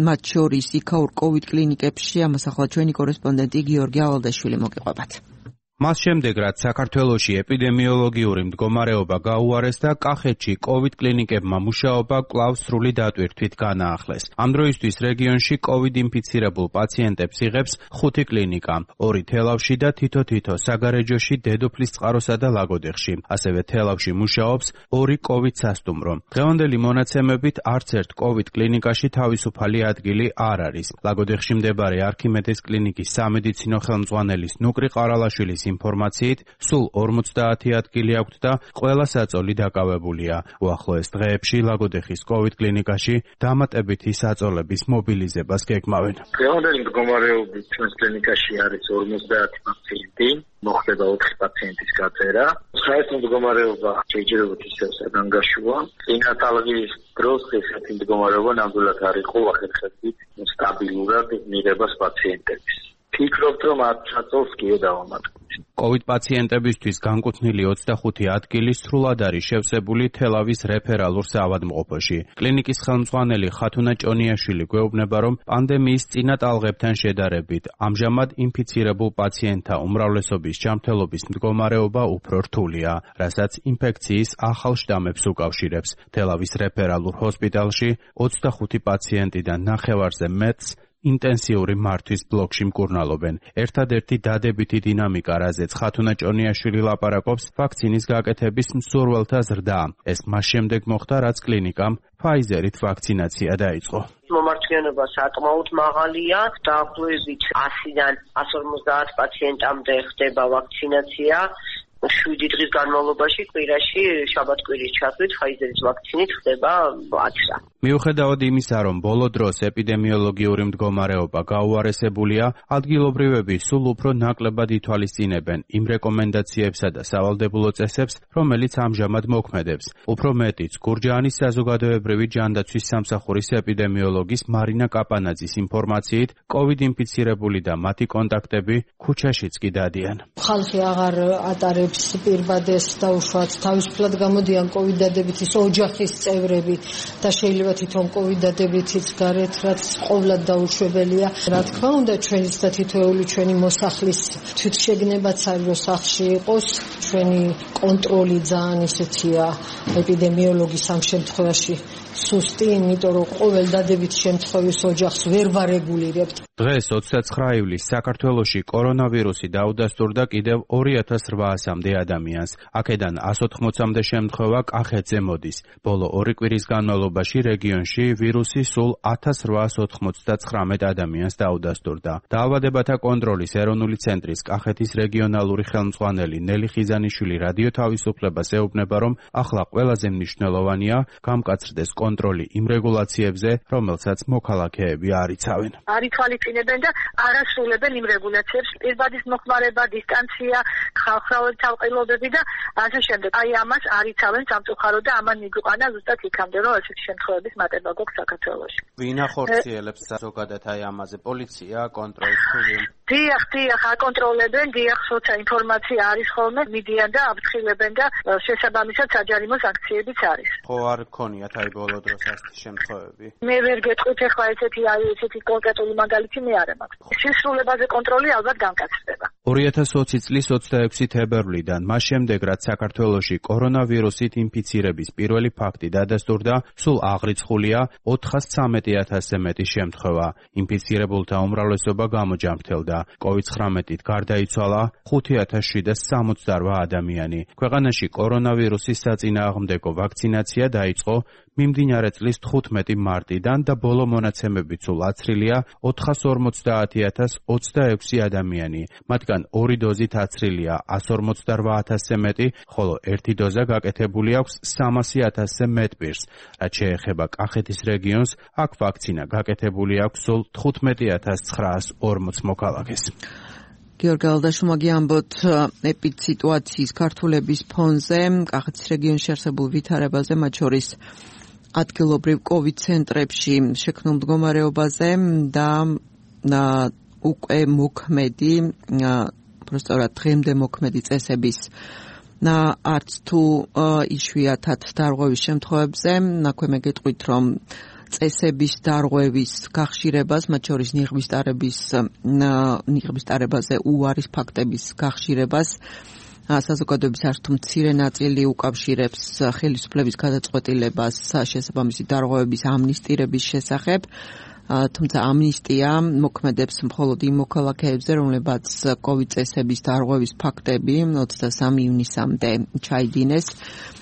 მათ შორის იქაურ კოვიდ კლინიკებში, ამას ახლა ჩვენი კორესპონდენტი გიორგი ავალდაშვილი მოგიყვებათ. მას შემდეგ, რაც საქართველოში ეპიდემიოლოგიური მდგომარეობა გაუარეს და კახეთში კოვიდ კლინიკებმა მუშაობა კვლავ სრული დატვირთვით განაახლეს. ამ დროისთვის რეგიონში კოვიდ ინფიცირებულ პაციენტებს იღებს ხუთი კლინიკა, ორი თელავში და თითო-თითო საგარეჯოში, დედოფლის წყაროსა და ლაგოდეხში. ასევე თელავში მუშაობს ორი კოვიდ სასტუმრო. დღევანდელი მონაცემებით არც ერთ კოვიდ კლინიკაში თავისუფალი ადგილი არ არის. ლაგოდეხში მდებარე არქიმედეს კლინიკის სამედიცინო ხელმძღვანელის ნუკრი ყარალაშვილის ინფორმაციით, სულ ორმოცდაათი ადგილი აქვთ და ყველა საწოლი დაკავებულია. უახლოეს დღეებში ლაგოდეხის კოვიდ კლინიკაში დამატებითი საწოლების მობილიზებას გეგმავენ. დღევანდელი მდგომარეობით ჩვენს კლინიკაში არის ორმოცდაათი პაციენტი, მოხდება ოთხი პაციენტის გაწერა. საერთო მდგომარეობა შეიძლება ისევ საგანგაშოა. წინა ტალღის დროს ესეთი მდგომარეობა ნამდვილად არ იყო ახერხებით სტაბილურად მიღებას პაციენტების. ფიქრობთ, რომ მათ საწოლს კი დავამატებთ. კოვიდ პაციენტებისთვის განკუთვნილი ოცდახუთი ადგილი სრულად არის შევსებული თელავის რეფერალურ საავადმყოფოში. კლინიკის ხელმძღვანელი ხათუნა ჭონიაშვილი გვეუბნება, რომ პანდემიის წინა ტალღებთან შედარებით ამჟამად ინფიცირებულ პაციენტთა უმრავლესობის ჯანმრთელობის მდგომარეობა უფრო რთულია, რასაც ინფექციის ახალ შტამებს უკავშირებს. თელავის რეფერალურ ჰოსპიტალში ოცდახუთი პაციენტიდან ნახევარზე მეტს ინტენსიური მართვის ბლოკში მკურნალობენ. ერთადერთი დადებითი დინამიკა, რაზეც ხათუნა ჭონიაშვილი ლაპარაკობს, ვაქცინის გაკეთების მსურველთა ზრდა. ეს მას შემდეგ მოხდა, რაც კლინიკამ ფაიზერით ვაქცინაცია დაიწყო. მომარჯვენობა საკმაოდ მაღალია, დაახლოებით ასიდან ასს ორმოცდაათ პაციენტამდე ხდება ვაქცინაცია. შვიდი დღის განმავლობაში კვირაში შაბათ-კვირის ჩათვლით ფაიზერის ვაქცინით ხდება ათსა. მიუხედავად იმისა, რომ ბოლო დროს ეპიდემიოლოგიური მდგომარეობა გაუარესებულია, ადგილობრივები სულ უფრო ნაკლებად ითვალისწინებენ იმ რეკომენდაციებსა და სავალდებულო წესებს, რომელიც ამჟამად მოქმედებს. უფრო მეტიც, გურჯაანის საზოგადოებრივი ჯანდაცვის სამსახურის ეპიდემიოლოგის მარინა კაპანაძის ინფორმაციით, კოვიდ ინფიცირებული და მათი კონტაქტები ქუჩაშიც კი დადიან. ხალხი აღარ ატარებს პირბადეს დაუშვათ, თავისუფლად გამოდიან კოვიდ დადებითის ოჯახის წევრები და შეიძლება თვითონ კოვიდ დადებითიც გარეთ, რაც ყოვლად დაუშვებელია. რა თქმა უნდა, ჩვენიც და თითოეული ჩვენი მოსახლის თვითშეგნებაც არის, რომ სახლში იყოს. ჩვენი კონტროლი ძალიან ისეთია ეპიდემიოლოგის ამ შემთხვევაში სუსტი, იმიტომ რომ ყოველ დადებით შემთხვევის ოჯახს ვერ ვარეგულირებთ. დღეს ოცდაცხრა ივლისს საქართველოში კორონავირუსი დაუდასტურდა კიდევ ორი ათას რვაასამდე ადამიანს. აქედან ასს ოთხმოცამდე შემთხვევა კახეთზე მოდის. ბოლო ორი კვირის განმავლობაში რეგიონში ვირუსი სულ ათას რვაას ოთხმოცდაცხრამეტ ადამიანს დაუდასტურდა. დაავადებათა კონტროლის ეროვნული ცენტრის კახეთის რეგიონალური ხელმძღვანელი ნელი ხიზანიშვილი რადიო თავისუფლებას ეუბნება, რომ ახლა ყველაზე მნიშვნელოვანია გამკაცრდეს კონტროლი იმ რეგულაციებზე, რომელსაც მოქალაქეები არ იცავენ. არ ითვალისწინებენ და არ ასრულებენ იმ რეგულაციებს, პირბადის მოხმარება, დისტანცია, ხალხრავი თავყილობები და ასე შემდეგ. აი ამას არ იცავენ სამწუხაროდ და ამან მიგვიყვანა ზუსტად იქამდე, რომ ესეთი შემთხვევების მატება გვაქვს საქართველოში. ვინ ახორციელებს ზოგადად აი ამაზე? პოლიცია, კონტროლს თუ ვინ? დიახ, დიახ, აკონტროლებენ, დიახ, სოცა ინფორმაცია არის ხოლმე, მიდიან და აფრთხილებენ და შესაბამისად საჯარიმო სანქციებიც არის. ხო არ გქონიათ აი ბოლო დროს ასეთი შემთხვევები? მე ვერ გეტყვით ახლა ესეთი აი ესეთი კონკრეტული მაგალითი მე არ მაქვს. შესრულებაზე კონტროლი ალბათ განკაცდება. ორი ათას ოცი წლის ოცდაექვსი თებერვლიდან, მას შემდეგ, რაც საქართველოში კორონავირუსით ინფიცირების პირველი ფაქტი დადასტურდა, სულ აღრიცხულია ოთხასცამეტი ათასზე მეტი შემთხვევა. ინფიცირებულთა უმრავლესობა გამოჯამრთელდა. კოვიდ ცხრამეტით გარდაიცვალა ხუთი ათას შვიდას სამოცდარვა ადამიანი. ქვეყანაში კორონავირუსის საწინააღმდეგო ვაქცინაცია დაიწყო მიმდინარე წლის თხუთმეტი მარტიდან და ბოლო მონაცემებით სულ აცრილია ოთხას ორმოცდაათი ათას ოცდაექვსი ადამიანი. მათგან ორი დოზით აცრილია ასს ორმოცდარვა ათასზე მეტი, ხოლო ერთი დოზა გაკეთებული აქვს სამასი ათასზე მეტ პირს. რაც შეეხება კახეთის რეგიონს, აქ ვაქცინა გაკეთებული აქვს სულ თხუთმეტი ათას ცხრაას ორმოც მოქალაქეს. გიორგი ალდაშუმა გიამბოთ ეპიდსიტუაციის ქართულების ფონზე, კახეთის რეგიონში არსებულ ვითარებაზე, მათ შორის ადგილობრივ კოვიდ ცენტრებში შექმნილ მდგომარეობაზე და უკვე მოქმედი, პროსტორად დღემდე მოქმედი წესების და არც თუ იშვიათად დარღვევის შემთხვევებზე, აქვე მე გეტყვით, რომ წესების დარღვევის გახშირებას, მათ შორის ნიღბის ტარების ნიღბის ტარებაზე უარის ფაქტების გახშირებას საზოგადოების არც თუ მცირე ნაწილი უკავშირებს ხელისუფლების გადაწყვეტილებას შესაბამისი დარღვევების ამნისტირების შესახებ, თუმცა ამნისტია მოქმედებს მხოლოდ იმ მოქალაქეებზე, რომლებაც კოვიდ წესების დარღვევის ფაქტები ოცდასამი ივნისამდე ჩაიდინეს.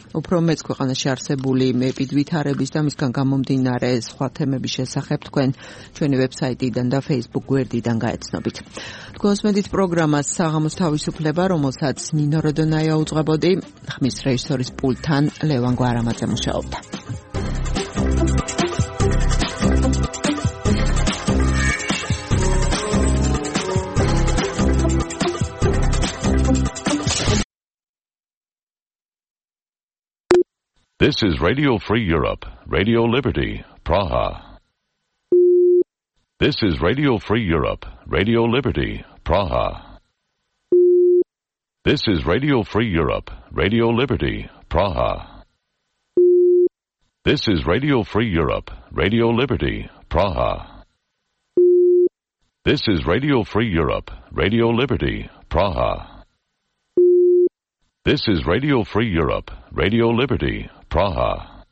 უფრო მეც ქვეყანაში არსებული ეპიდვითარების და მისგან გამომდინარე სხვა თემების შესახებ თქვენ ჩვენი ვებსაიტიდან და Facebook გვერდიდან გაეცნობით. თქვენსმენთ პროგრამას საღამოს თავისუფლება, რომელსაც ნინო როდონაია უძღვებოდი, ხმის რეჟისორის პულტთან ლევან გვარამაძე მუშაობდა. This is Radio Free Europe, Radio Liberty, Praha. This is Radio Free Europe, Radio Liberty, Praha. This is Radio Free Europe, Radio Liberty, Praha. This is Radio Free Europe, Radio Liberty, Praha. This is Radio Free Europe, Radio Liberty, Praha. This is Radio Free Europe, Radio Liberty, Praha.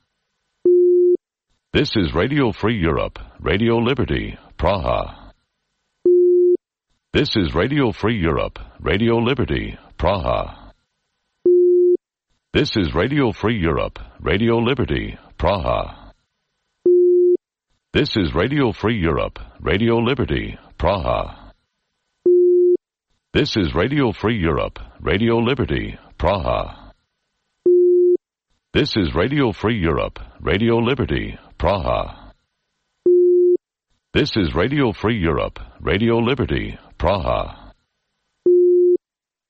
This is Radio Free Europe, Radio Liberty, Praha. This is Radio Free Europe, Radio Liberty, Praha. This is Radio Free Europe, Radio Liberty, Praha. This is Radio Free Europe, Radio Liberty, Praha. This is Radio Free Europe, Radio Liberty, Praha. This is Radio Free Europe, Radio Liberty, Praha. This is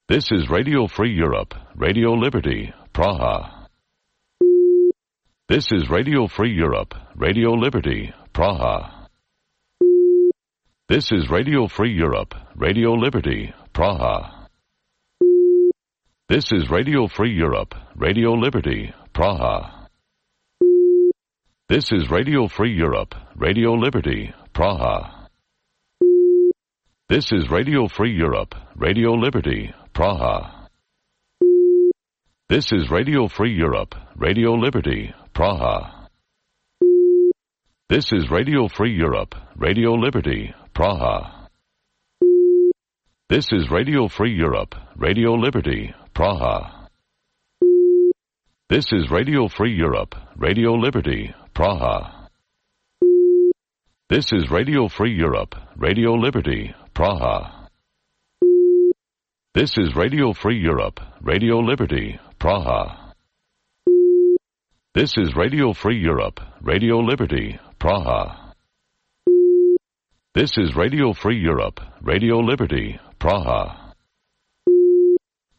Radio Free Europe, Radio Liberty, Praha. This is Radio Free Europe, Radio Liberty, Praha. This is Radio Free Europe, Radio Liberty, Praha. This is Radio Free Europe, Radio Liberty, Praha. This is Radio Free Europe, Radio Liberty, Praha. This is Radio Free Europe, Radio Liberty, Praha. This is Radio Free Europe, Radio Liberty, Praha. This is Radio Free Europe, Radio Liberty, Praha. This is Radio Free Europe, Radio Liberty, Praha. This is Radio Free Europe, Radio Liberty, Praha. This is Radio Free Europe, Radio Liberty, Praha. This is Radio Free Europe, Radio Liberty, Praha. This is Radio Free Europe, Radio Liberty, Praha. This is Radio Free Europe, Radio Liberty, Praha. This is Radio Free Europe, Radio Liberty, Praha.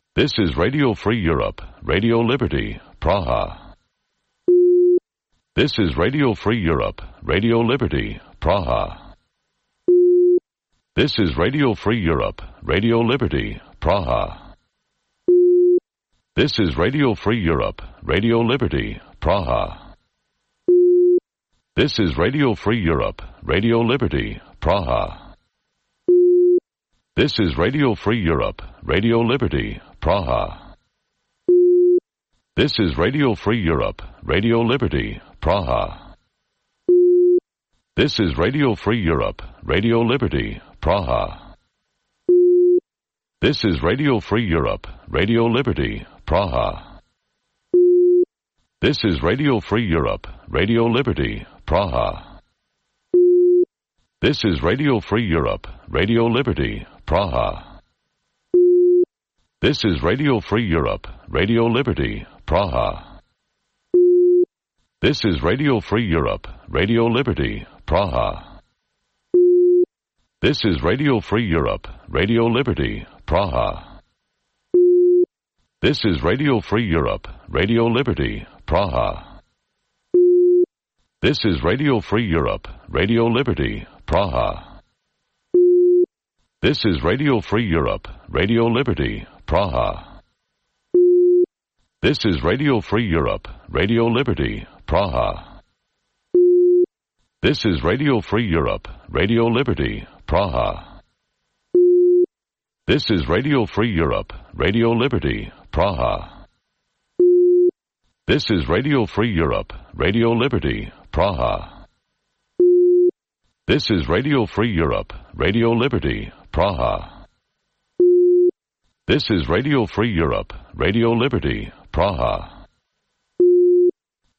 This is Radio Free Europe, Radio Liberty, Praha. This is Radio Free Europe, Radio Liberty, Praha. This is Radio Free Europe, Radio Liberty, Praha. This is Radio Free Europe, Radio Liberty, Praha. This is Radio Free Europe, Radio Liberty, Praha. This is Radio Free Europe, Radio Liberty, Praha. This is Radio Free Europe, Radio Liberty, Praha. This is Radio Free Europe, Radio Liberty, Praha. This is Radio Free Europe, Radio Liberty, Praha. This is Radio Free Europe, Radio Liberty, Praha. This is Radio Free Europe, Radio Liberty, Praha. This is Radio Free Europe, Radio Liberty, Praha. This is Radio Free Europe, Radio Liberty, Praha. This is Radio Free Europe, Radio Liberty, Praha. This is Radio Free Europe, Radio Liberty, Praha. This is Radio Free Europe, Radio Liberty, Praha. This is Radio Free Europe, Radio Liberty, Praha. This is Radio Free Europe, Radio Liberty, Praha. This is Radio Free Europe, Radio Liberty, Praha. This is Radio Free Europe, Radio Liberty, Praha. This is Radio Free Europe, Radio Liberty, Praha. This is Radio Free Europe, Radio Liberty, Praha. This is Radio Free Europe, Radio Liberty, Praha.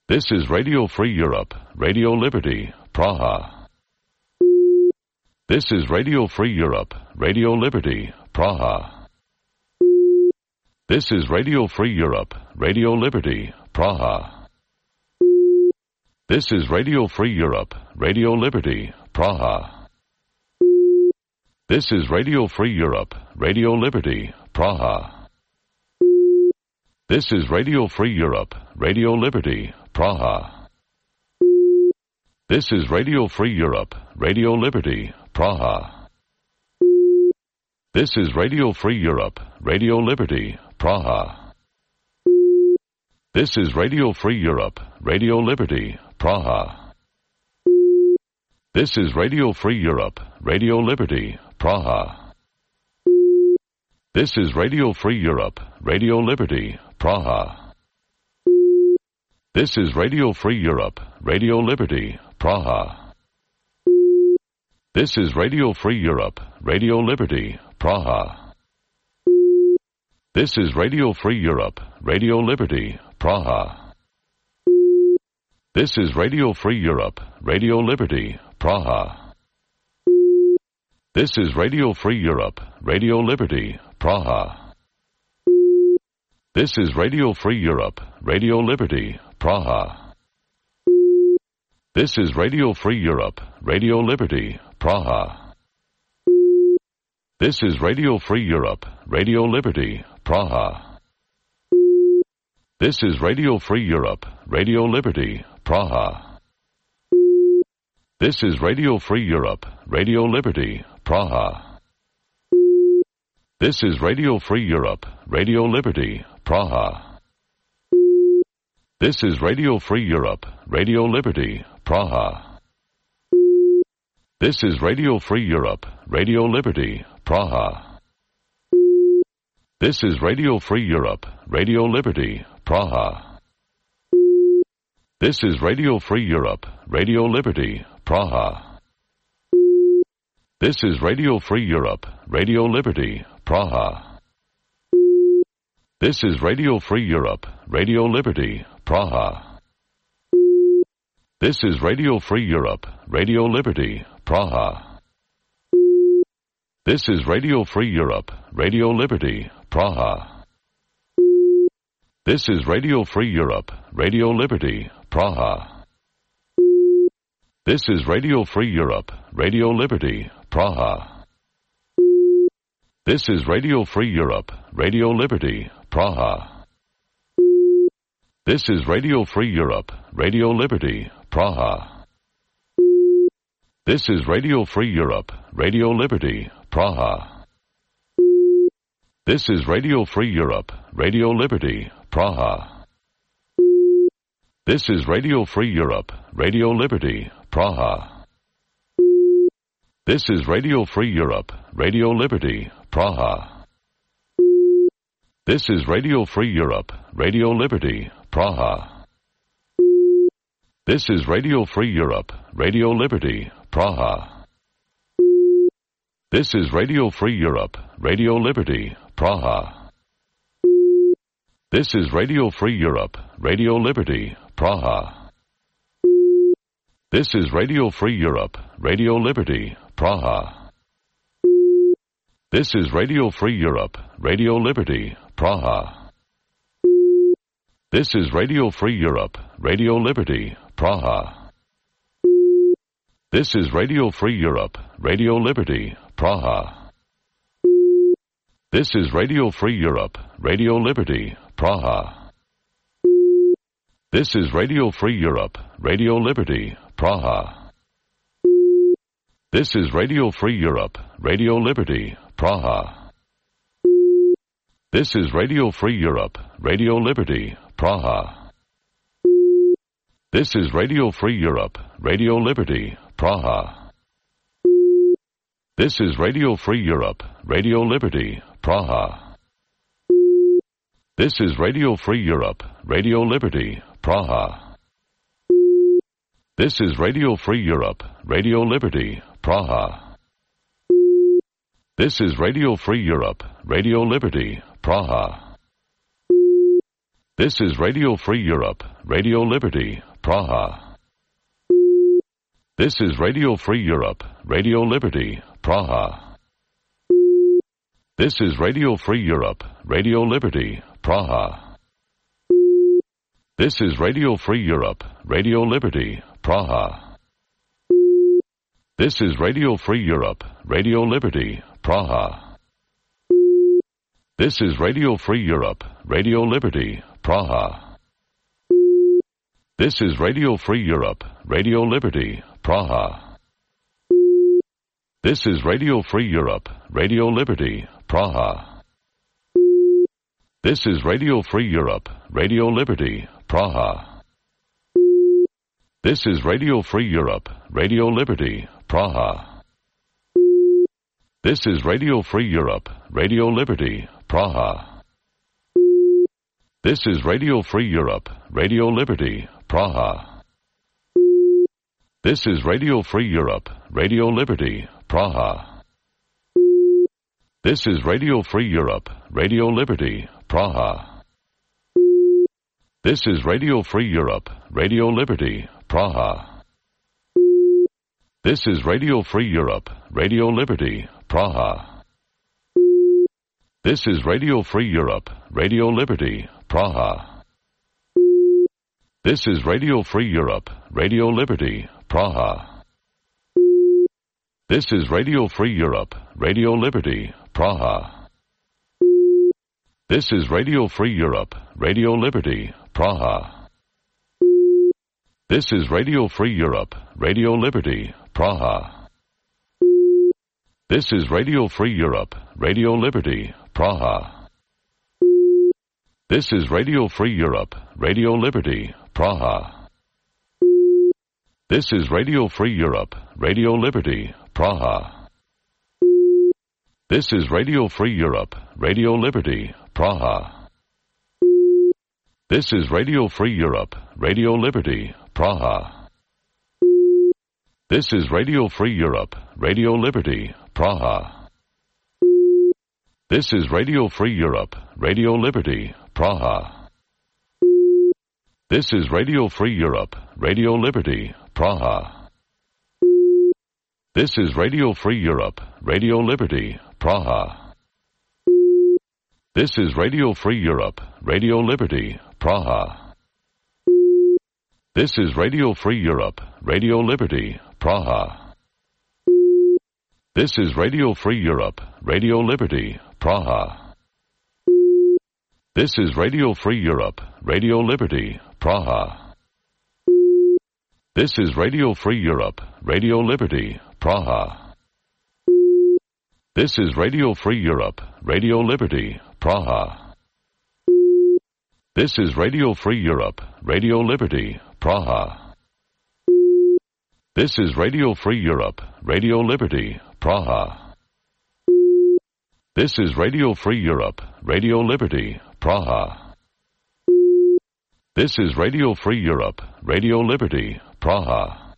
This is Radio Free Europe, Radio Liberty, Praha. This is Radio Free Europe, Radio Liberty, Praha. This is Radio Free Europe, Radio Liberty, Praha. This is Radio Free Europe, Radio Liberty, Praha. This is Radio Free Europe, Radio Liberty, Praha. This is Radio Free Europe, Radio Liberty, Praha. This is Radio Free Europe, Radio Liberty, Praha. This is Radio Free Europe, Radio Liberty, Praha. This is Radio Free Europe, Radio Liberty, Praha. This is Radio Free Europe, Radio Liberty, Praha. This is Radio Free Europe, Radio Liberty, Praha. This is Radio Free Europe, Radio Liberty, Praha. This is Radio Free Europe, Radio Liberty, Praha. This is Radio Free Europe, Radio Liberty, Praha. This is Radio Free Europe, Radio Liberty, Praha. This is Radio Free Europe, Radio Liberty, Praha. This is Radio Free Europe, Radio Liberty, Praha. This is Radio Free Europe, Radio Liberty, Praha. This is Radio Free Europe, Radio Liberty, Praha. This is Radio Free Europe, Radio Liberty, Praha. This is Radio Free Europe, Radio Liberty, Praha. This is Radio Free Europe, Radio Liberty, Praha. This is Radio Free Europe, Radio Liberty, Praha. This is Radio Free Europe, Radio Liberty, Praha. This is Radio Free Europe, Radio Liberty, Praha. This is Radio Free Europe, Radio Liberty, Praha. This is Radio Free Europe, Radio Liberty, Praha. This is Radio Free Europe, Radio Liberty, Praha. This is Radio Free Europe, Radio Liberty, Praha. This is Radio Free Europe, Radio Liberty, Praha. This is Radio Free Europe, Radio Liberty, Praha. This is Radio Free Europe, Radio Liberty, Praha. This is Radio Free Europe, Radio Liberty, Praha. This is Radio Free Europe, Radio Liberty, Praha. This is Radio Free Europe, Radio Liberty, Praha. This is Radio Free Europe, Radio Liberty, Praha. This is Radio Free Europe, Radio Liberty, Praha. This is Radio Free Europe, Radio Liberty, Praha. This is Radio Free Europe, Radio Liberty, Praha. This is Radio Free Europe, Radio Liberty, Praha. This is Radio Free Europe, Radio Liberty, Praha. This is Radio Free Europe, Radio Liberty, Praha. This is Radio Free Europe, Radio Liberty, Praha. This is Radio Free Europe, Radio Liberty, Praha. This is Radio Free Europe, Radio Liberty, Praha. This is Radio Free Europe, Radio Liberty, Praha. This is Radio Free Europe, Radio Liberty, Praha. This is Radio Free Europe, Radio Liberty, Praha. This is Radio Free Europe, Radio Liberty, Praha. This is Radio Free Europe, Radio Liberty, Praha. This is Radio Free Europe, Radio Liberty, Praha. This is Radio Free Europe, Radio Liberty, Praha. This is Radio Free Europe, Radio Liberty, Praha. This is Radio Free Europe, Radio Liberty, Praha. This is Radio Free Europe, Radio Liberty, Praha. This is Radio Free Europe, Radio Liberty, Praha. This is Radio Free Europe, Radio Liberty, Praha. This is Radio Free Europe, Radio Liberty, Praha. This is Radio Free Europe, Radio Liberty, Praha. This is Radio Free Europe, Radio Liberty, Praha. This is Radio Free Europe, Radio Liberty, Praha. This is Radio Free Europe, Radio Liberty, Praha. This is Radio Free Europe, Radio Liberty, Praha. This is Radio Free Europe, Radio Liberty, Praha. This is Radio Free Europe, Radio Liberty, Praha. This is Radio Free Europe, Radio Liberty, Praha. This is Radio Free Europe, Radio Liberty, Praha. This is Radio Free Europe, Radio Liberty, Praha. This is Radio Free Europe, Radio Liberty, Praha. This is Radio Free Europe, Radio Liberty, Praha. This is Radio Free Europe, Radio Liberty, Praha. This is Radio Free Europe, Radio Liberty, Praha. This is Radio Free Europe, Radio Liberty, Praha. This is Radio Free Europe, Radio Liberty, Praha. This is Radio Free Europe, Radio Liberty, Praha. This is Radio Free Europe, Radio Liberty, Praha. This is Radio Free Europe, Radio Liberty, Praha. This is Radio Free Europe, Radio Liberty, Praha. This is Radio Free Europe, Radio Liberty, Praha. This is Radio Free Europe, Radio Liberty, Praha. This is Radio Free Europe, Radio Liberty, Praha. This is Radio Free Europe, Radio Liberty, Praha. This is Radio Free Europe, Radio Liberty, Praha. This is Radio Free Europe, Radio Liberty, Praha. This is Radio Free Europe, Radio Liberty, Praha. This is Radio Free Europe, Radio Liberty, Praha. This is Radio Free Europe, Radio Liberty, Praha. This is Radio Free Europe, Radio Liberty, Praha. This is Radio Free Europe, Radio Liberty, Praha. This is Radio Free Europe, Radio Liberty, Praha. This is Radio Free Europe, Radio Liberty, Praha. This is Radio Free Europe, Radio Liberty, Praha. This is Radio Free Europe, Radio Liberty, Praha. This is Radio Free Europe, Radio Liberty, Praha. This is Radio Free Europe, Radio Liberty, Praha.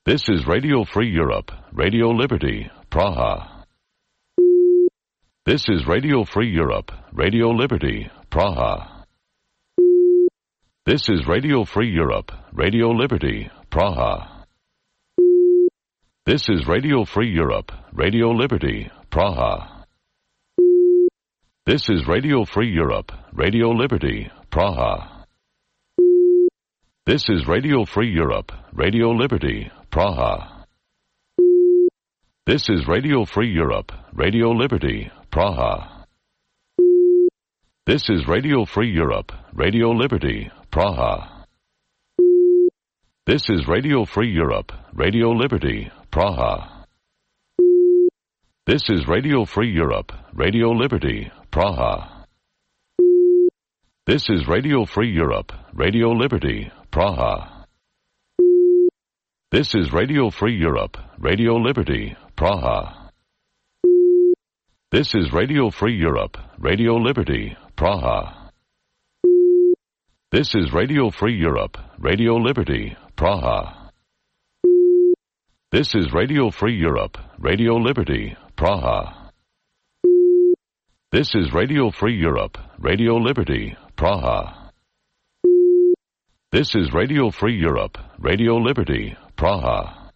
This is Radio Free Europe, Radio Liberty, Praha. This is Radio Free Europe, Radio Liberty, Praha. This is Radio Free Europe, Radio Liberty, Praha. This is Radio Free Europe, Radio Liberty, Praha. This is Radio Free Europe, Radio Liberty, Praha. This is Radio Free Europe, Radio Liberty, Praha. This is Radio Free Europe, Radio Liberty, Praha. This is Radio Free Europe, Radio Liberty, Praha. This is Radio Free Europe, Radio Liberty, Praha. This is Radio Free Europe, Radio Liberty, Praha. This is Radio Free Europe, Radio Liberty, Praha. This is Radio Free Europe, Radio Liberty, Praha. This is Radio Free Europe, Radio Liberty, Praha. This is Radio Free Europe, Radio Liberty, Praha. This is Radio Free Europe, Radio Liberty, Praha. This is Radio Free Europe, Radio Liberty, Praha. This is Radio Free Europe, Radio Liberty, Praha.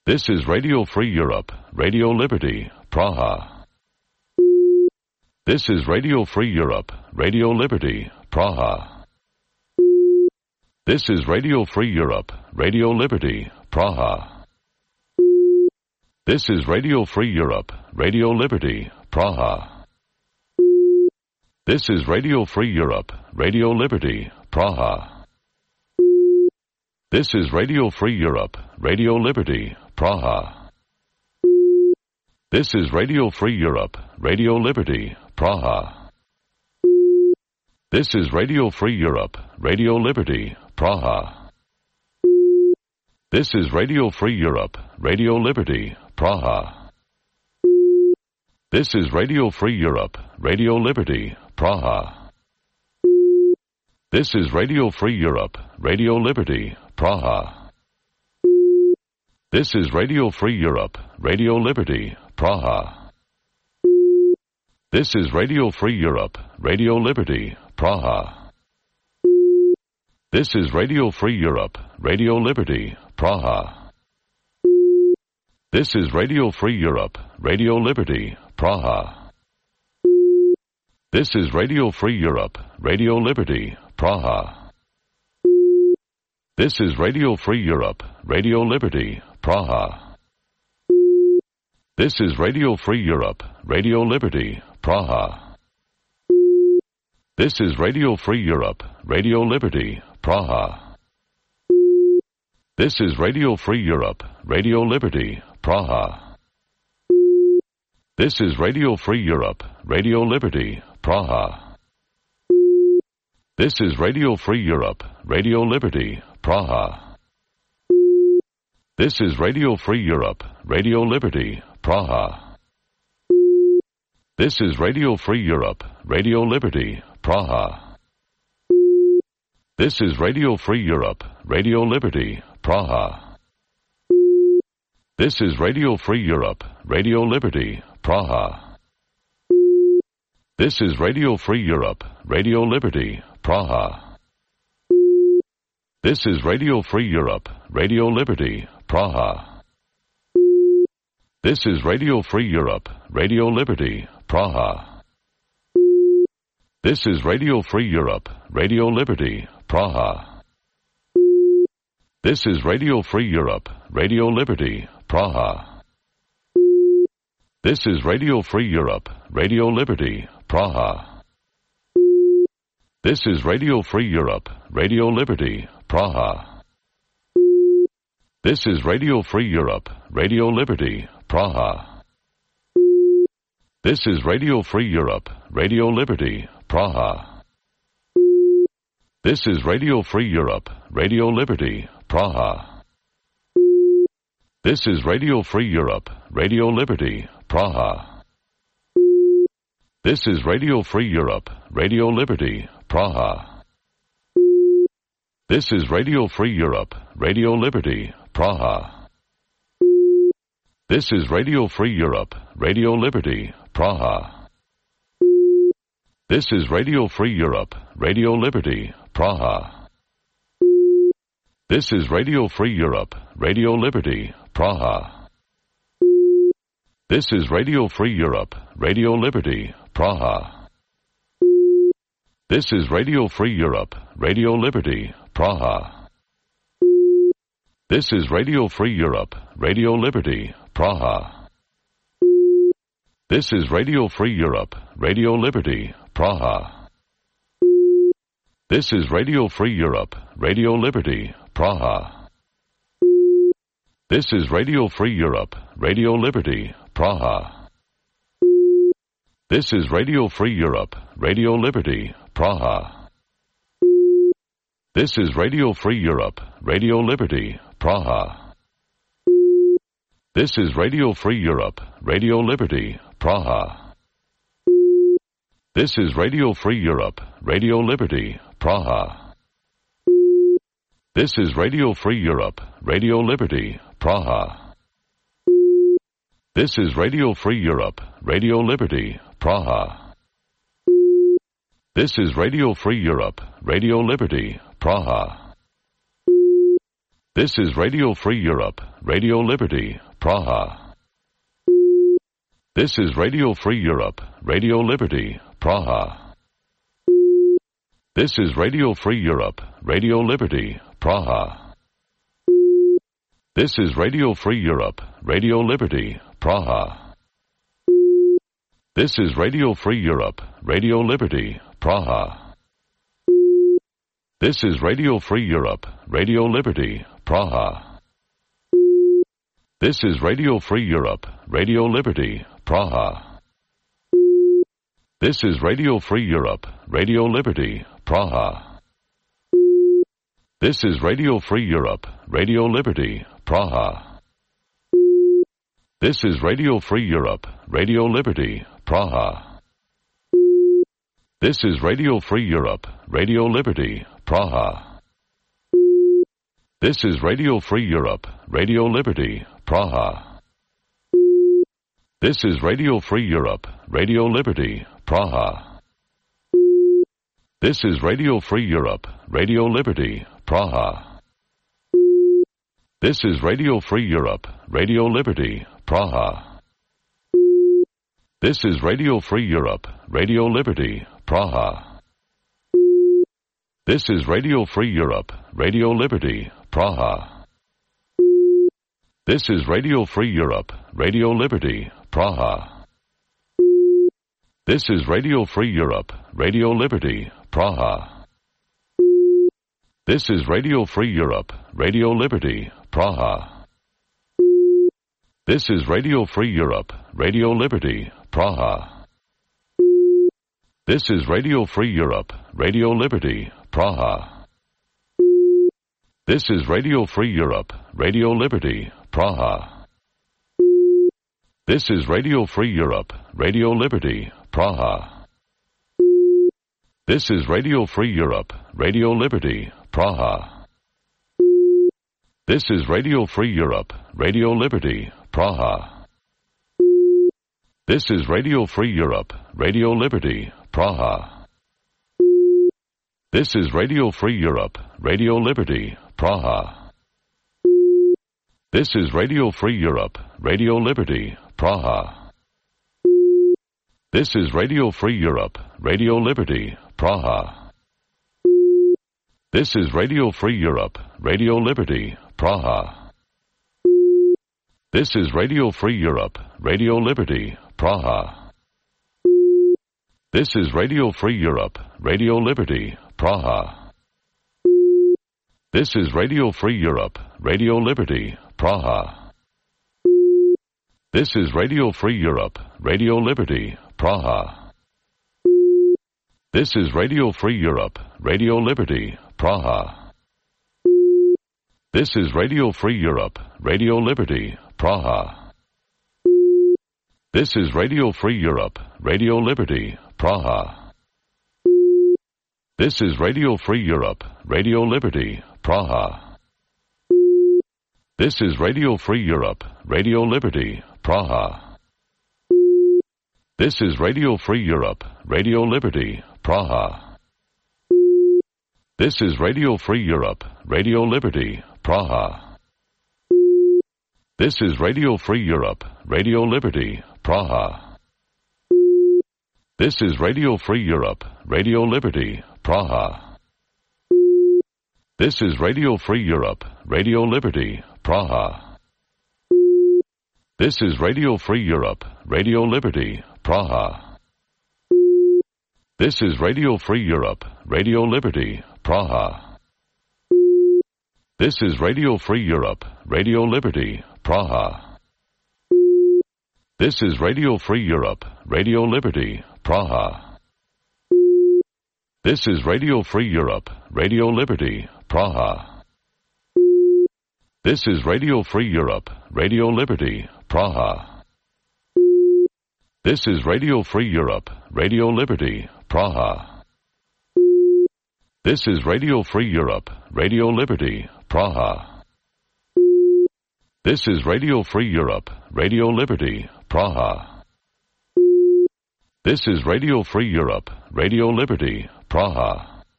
This is Radio Free Europe, Radio Liberty, Praha. This is Radio Free Europe, Radio Liberty, Praha. This is Radio Free Europe, Radio Liberty, Praha. This is Radio Free Europe, Radio Liberty, Praha. This is Radio Free Europe, Radio Liberty, Praha. This is Radio Free Europe, Radio Liberty, Praha. This is Radio Free Europe, Radio Liberty, Praha. This is Radio Free Europe, Radio Liberty, Praha. This is Radio Free Europe, Radio Liberty, Praha. This is Radio Free Europe, Radio Liberty, Praha. This is Radio Free Europe, Radio Liberty, Praha. This is Radio Free Europe, Radio Liberty, Praha. This is Radio Free Europe, Radio Liberty, Praha. This is Radio Free Europe, Radio Liberty, Praha. This is Radio Free Europe, Radio Liberty, Praha. This is Radio Free Europe, Radio Liberty, Praha. This is Radio Free Europe, Radio Liberty, Praha. This is Radio Free Europe, Radio Liberty, Praha. This is Radio Free Europe, Radio Liberty, Praha. This is Radio Free Europe, Radio Liberty, Praha. This is Radio Free Europe, Radio Liberty, Praha. This is Radio Free Europe, Radio Liberty, Praha. This is Radio Free Europe, Radio Liberty, Praha. This is Radio Free Europe, Radio Liberty, Praha. This is Radio Free Europe, Radio Liberty, Praha. This is Radio Free Europe, Radio Liberty, Praha. This is Radio Free Europe, Radio Liberty, Praha. This is Radio Free Europe, Radio Liberty, Praha. This is Radio Free Europe, Radio Liberty, Praha. This is Radio Free Europe, Radio Liberty, Praha. This is Radio Free Europe, Radio Liberty, Praha. This is Radio Free Europe, Radio Liberty, Praha. This is Radio Free Europe, Radio Liberty, Praha. This is Radio Free Europe, Radio Liberty, Praha. This is Radio Free Europe, Radio Liberty, Praha. This is Radio Free Europe, Radio Liberty, Praha. This is Radio Free Europe, Radio Liberty, Praha. This is Radio Free Europe, Radio Liberty, Praha. This is Radio Free Europe, Radio Liberty, Praha. This is Radio Free Europe, Radio Liberty, Praha. This is Radio Free Europe, Radio Liberty, Praha. This is Radio Free Europe, Radio Liberty, Praha. This is Radio Free Europe, Radio Liberty, Praha. This is Radio Free Europe, Radio Liberty, Praha. This is Radio Free Europe, Radio Liberty, Praha. This is Radio Free Europe, Radio Liberty, Praha. This is Radio Free Europe, Radio Liberty, Praha. This is Radio Free Europe, Radio Liberty, Praha. This is Radio Free Europe, Radio Liberty, Praha. This is Radio Free Europe, Radio Liberty, Praha. This is Radio Free Europe, Radio Liberty, Praha. This is Radio Free Europe, Radio Liberty, Praha. This is Radio Free Europe, Radio Liberty, Praha. This is Radio Free Europe, Radio Liberty, Praha. This is Radio Free Europe, Radio Liberty, Praha. This is Radio Free Europe, Radio Liberty, Praha. This is Radio Free Europe, Radio Liberty, Praha. This is Radio Free Europe, Radio Liberty, Praha. This is Radio Free Europe, Radio Liberty, Praha. This is Radio Free Europe, Radio Liberty, Praha. This is Radio Free Europe, Radio Liberty, Praha. This is Radio Free Europe, Radio Liberty, Praha. This is Radio Free Europe, Radio Liberty, Praha. This is Radio Free Europe, Radio Liberty, Praha. This is Radio Free Europe, Radio Liberty, Praha. This is Radio Free Europe, Radio Liberty, Praha. This is Radio Free Europe, Radio Liberty, Praha. This is Radio Free Europe, Radio Liberty, Praha. This is Radio Free Europe, Radio Liberty, Praha. This is Radio Free Europe, Radio Liberty, Praha. This is Radio Free Europe, Radio Liberty, Praha. This is Radio Free Europe, Radio Liberty, Praha. This is Radio Free Europe, Radio Liberty, Praha. This is Radio Free Europe, Radio Liberty, Praha. This is Radio Free Europe, Radio Liberty, Praha. This is Radio Free Europe, Radio Liberty, Praha. This is Radio Free Europe, Radio Liberty, Praha. This is Radio Free Europe, Radio Liberty, Praha. This is Radio Free Europe, Radio Liberty, Praha. This is Radio Free Europe, Radio Liberty, Praha. This is Radio Free Europe, Radio Liberty, Praha. This is Radio Free Europe, Radio Liberty, Praha. This is Radio Free Europe, Radio Liberty, Praha. This is Radio Free Europe, Radio Liberty, Praha. This is Radio Free Europe, Radio Liberty, Praha. This is Radio Free Europe, Radio Liberty, Praha. This is Radio Free Europe, Radio Liberty, Praha. This is Radio Free Europe, Radio Liberty, Praha. This is Radio Free Europe, Radio Liberty, Praha. This is Radio Free Europe, Radio Liberty, Praha. This is Radio Free Europe, Radio Liberty, Praha. This is Radio Free Europe, Radio Liberty, Praha. This is Radio Free Europe, Radio Liberty, Praha. This is Radio Free Europe, Radio Liberty, Praha. This is Radio Free Europe, Radio Liberty, Praha. This is Radio Free Europe, Radio Liberty, Praha. This is Radio Free Europe, Radio Liberty, Praha. This is Radio Free Europe, Radio Liberty, Praha. This is Radio Free Europe, Radio Liberty, Praha. This is Radio Free Europe, Radio Liberty, Praha. This is Radio Free Europe, Radio Liberty, Praha. This is Radio Free Europe, Radio Liberty, Praha. This is Radio Free Europe, Radio Liberty, Praha. This is Radio Free Europe, Radio Liberty, Praha. This is Radio Free Europe, Radio Liberty, Praha. This is Radio Free Europe, Radio Liberty, Praha. This is Radio Free Europe, Radio Liberty, Praha. This is Radio Free Europe, Radio Liberty, Praha. This is Radio Free Europe, Radio Liberty, Praha. This is Radio Free Europe, Radio Liberty, Praha.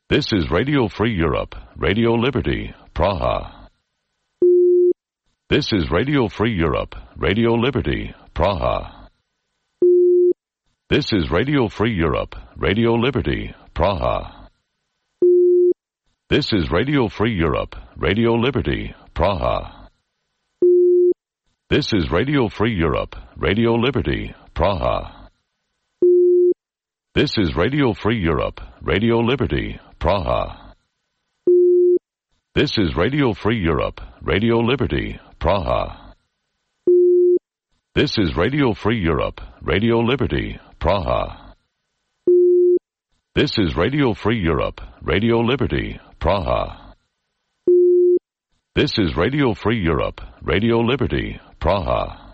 This is Radio Free Europe, Radio Liberty, Praha. This is Radio Free Europe, Radio Liberty, Praha. This is Radio Free Europe, Radio Liberty, Praha. This is Radio Free Europe, Radio Liberty, Praha. This is Radio Free Europe, Radio Liberty, Praha. This is Radio Free Europe, Radio Liberty, Praha. This is Radio Free Europe, Radio Liberty, Praha. This is Radio Free Europe, Radio Liberty, Praha. This is Radio Free Europe, Radio Liberty, Praha. This is Radio Free Europe, Radio Liberty, Praha.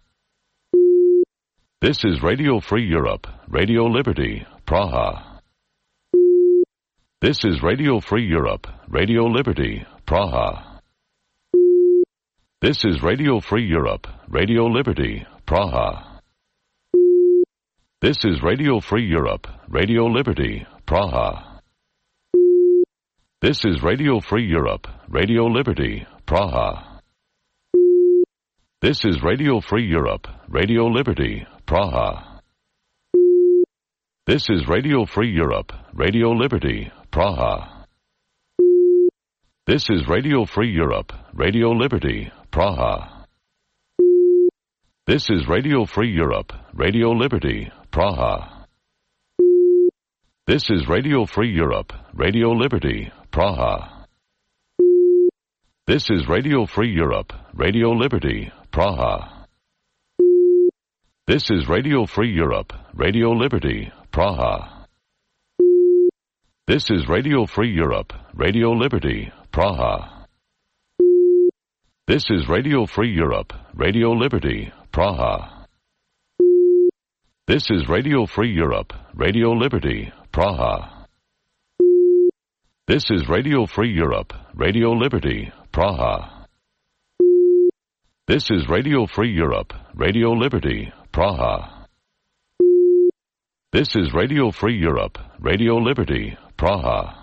This is Radio Free Europe, Radio Liberty, Praha. This is Radio Free Europe, Radio Liberty, Praha. This is Radio Free Europe, Radio Liberty, Praha. This is Radio Free Europe, Radio Liberty, Praha. This is Radio Free Europe, Radio Liberty, Praha. This is Radio Free Europe, Radio Liberty, Praha. This is Radio Free Europe, Radio Liberty, Praha. This is Radio Free Europe, Radio Liberty, Praha. This is Radio Free Europe, Radio Liberty, Praha. This is Radio Free Europe, Radio Liberty, Praha. This is Radio Free Europe, Radio Liberty, Praha. This is Radio Free Europe, Radio Liberty, Praha. This is Radio Free Europe, Radio Liberty, Praha. This is Radio Free Europe, Radio Liberty, Praha. This is Radio Free Europe, Radio Liberty, Praha. This is Radio Free Europe, Radio Liberty, Praha. This is Radio Free Europe, Radio Liberty, Praha. This is Radio Free Europe, Radio Liberty, Praha.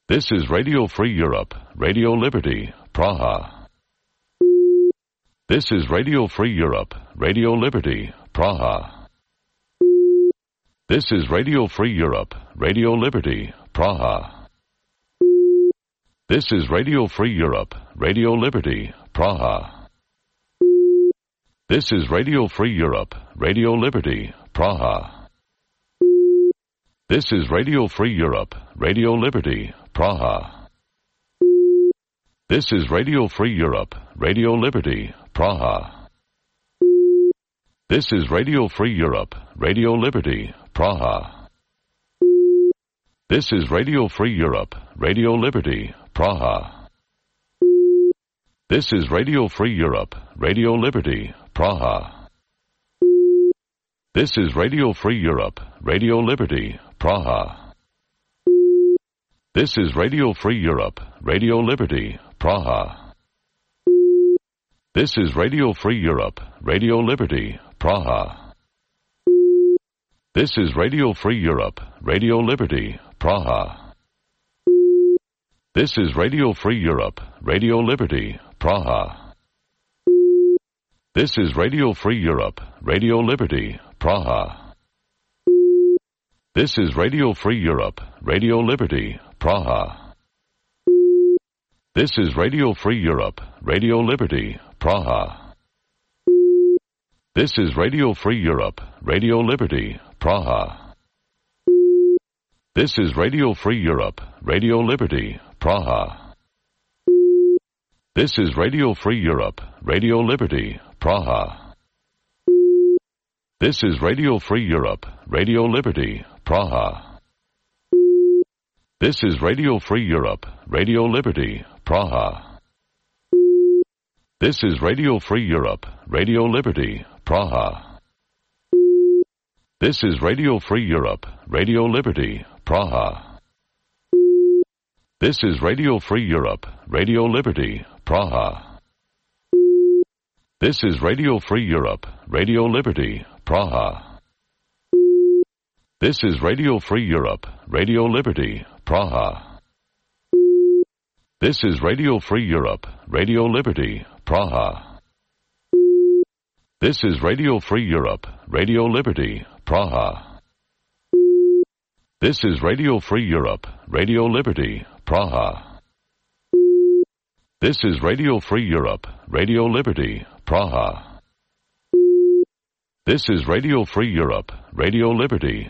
This is Radio Free Europe, Radio Liberty, Praha. This is Radio Free Europe, Radio Liberty, Praha. This is Radio Free Europe, Radio Liberty, Praha. This is Radio Free Europe, Radio Liberty, Praha. This is Radio Free Europe, Radio Liberty, Praha. This is Radio Free Europe, Radio Liberty, Praha. This is Radio Free Europe, Radio Liberty, Praha. This is Radio Free Europe, Radio Liberty, Praha. This is Radio Free Europe, Radio Liberty, Praha. This is Radio Free Europe, Radio Liberty, Praha. This is Radio Free Europe, Radio Liberty, Praha. This is Radio Free Europe, Radio Liberty, Praha. This is Radio Free Europe, Radio Liberty, Praha. This is Radio Free Europe, Radio Liberty, Praha. This is Radio Free Europe, Radio Liberty, Praha. This is Radio Free Europe, Radio Liberty, Praha. This is Radio Free Europe, Radio Liberty, Praha. This is Radio Free Europe, Radio Liberty, Praha. This is Radio Free Europe, Radio Liberty, Praha. This is Radio Free Europe, Radio Liberty, Praha. This is Radio Free Europe, Radio Liberty, Praha. This is Radio Free Europe, Radio Liberty, Praha. This is Radio Free Europe, Radio Liberty, Praha. This is Radio Free Europe, Radio Liberty, Praha. This is Radio Free Europe, Radio Liberty, Praha. This is Radio Free Europe, Radio Liberty, Praha. This is Radio Free Europe, Radio Liberty, Praha. This is Radio Free Europe, Radio Liberty, Praha. This is Radio Free Europe, Radio Liberty, Praha. This is Radio Free Europe, Radio Liberty, Praha. This is Radio Free Europe, Radio Liberty, Praha. This is Radio Free Europe, Radio Liberty, Praha. This is Radio Free Europe, Radio Liberty,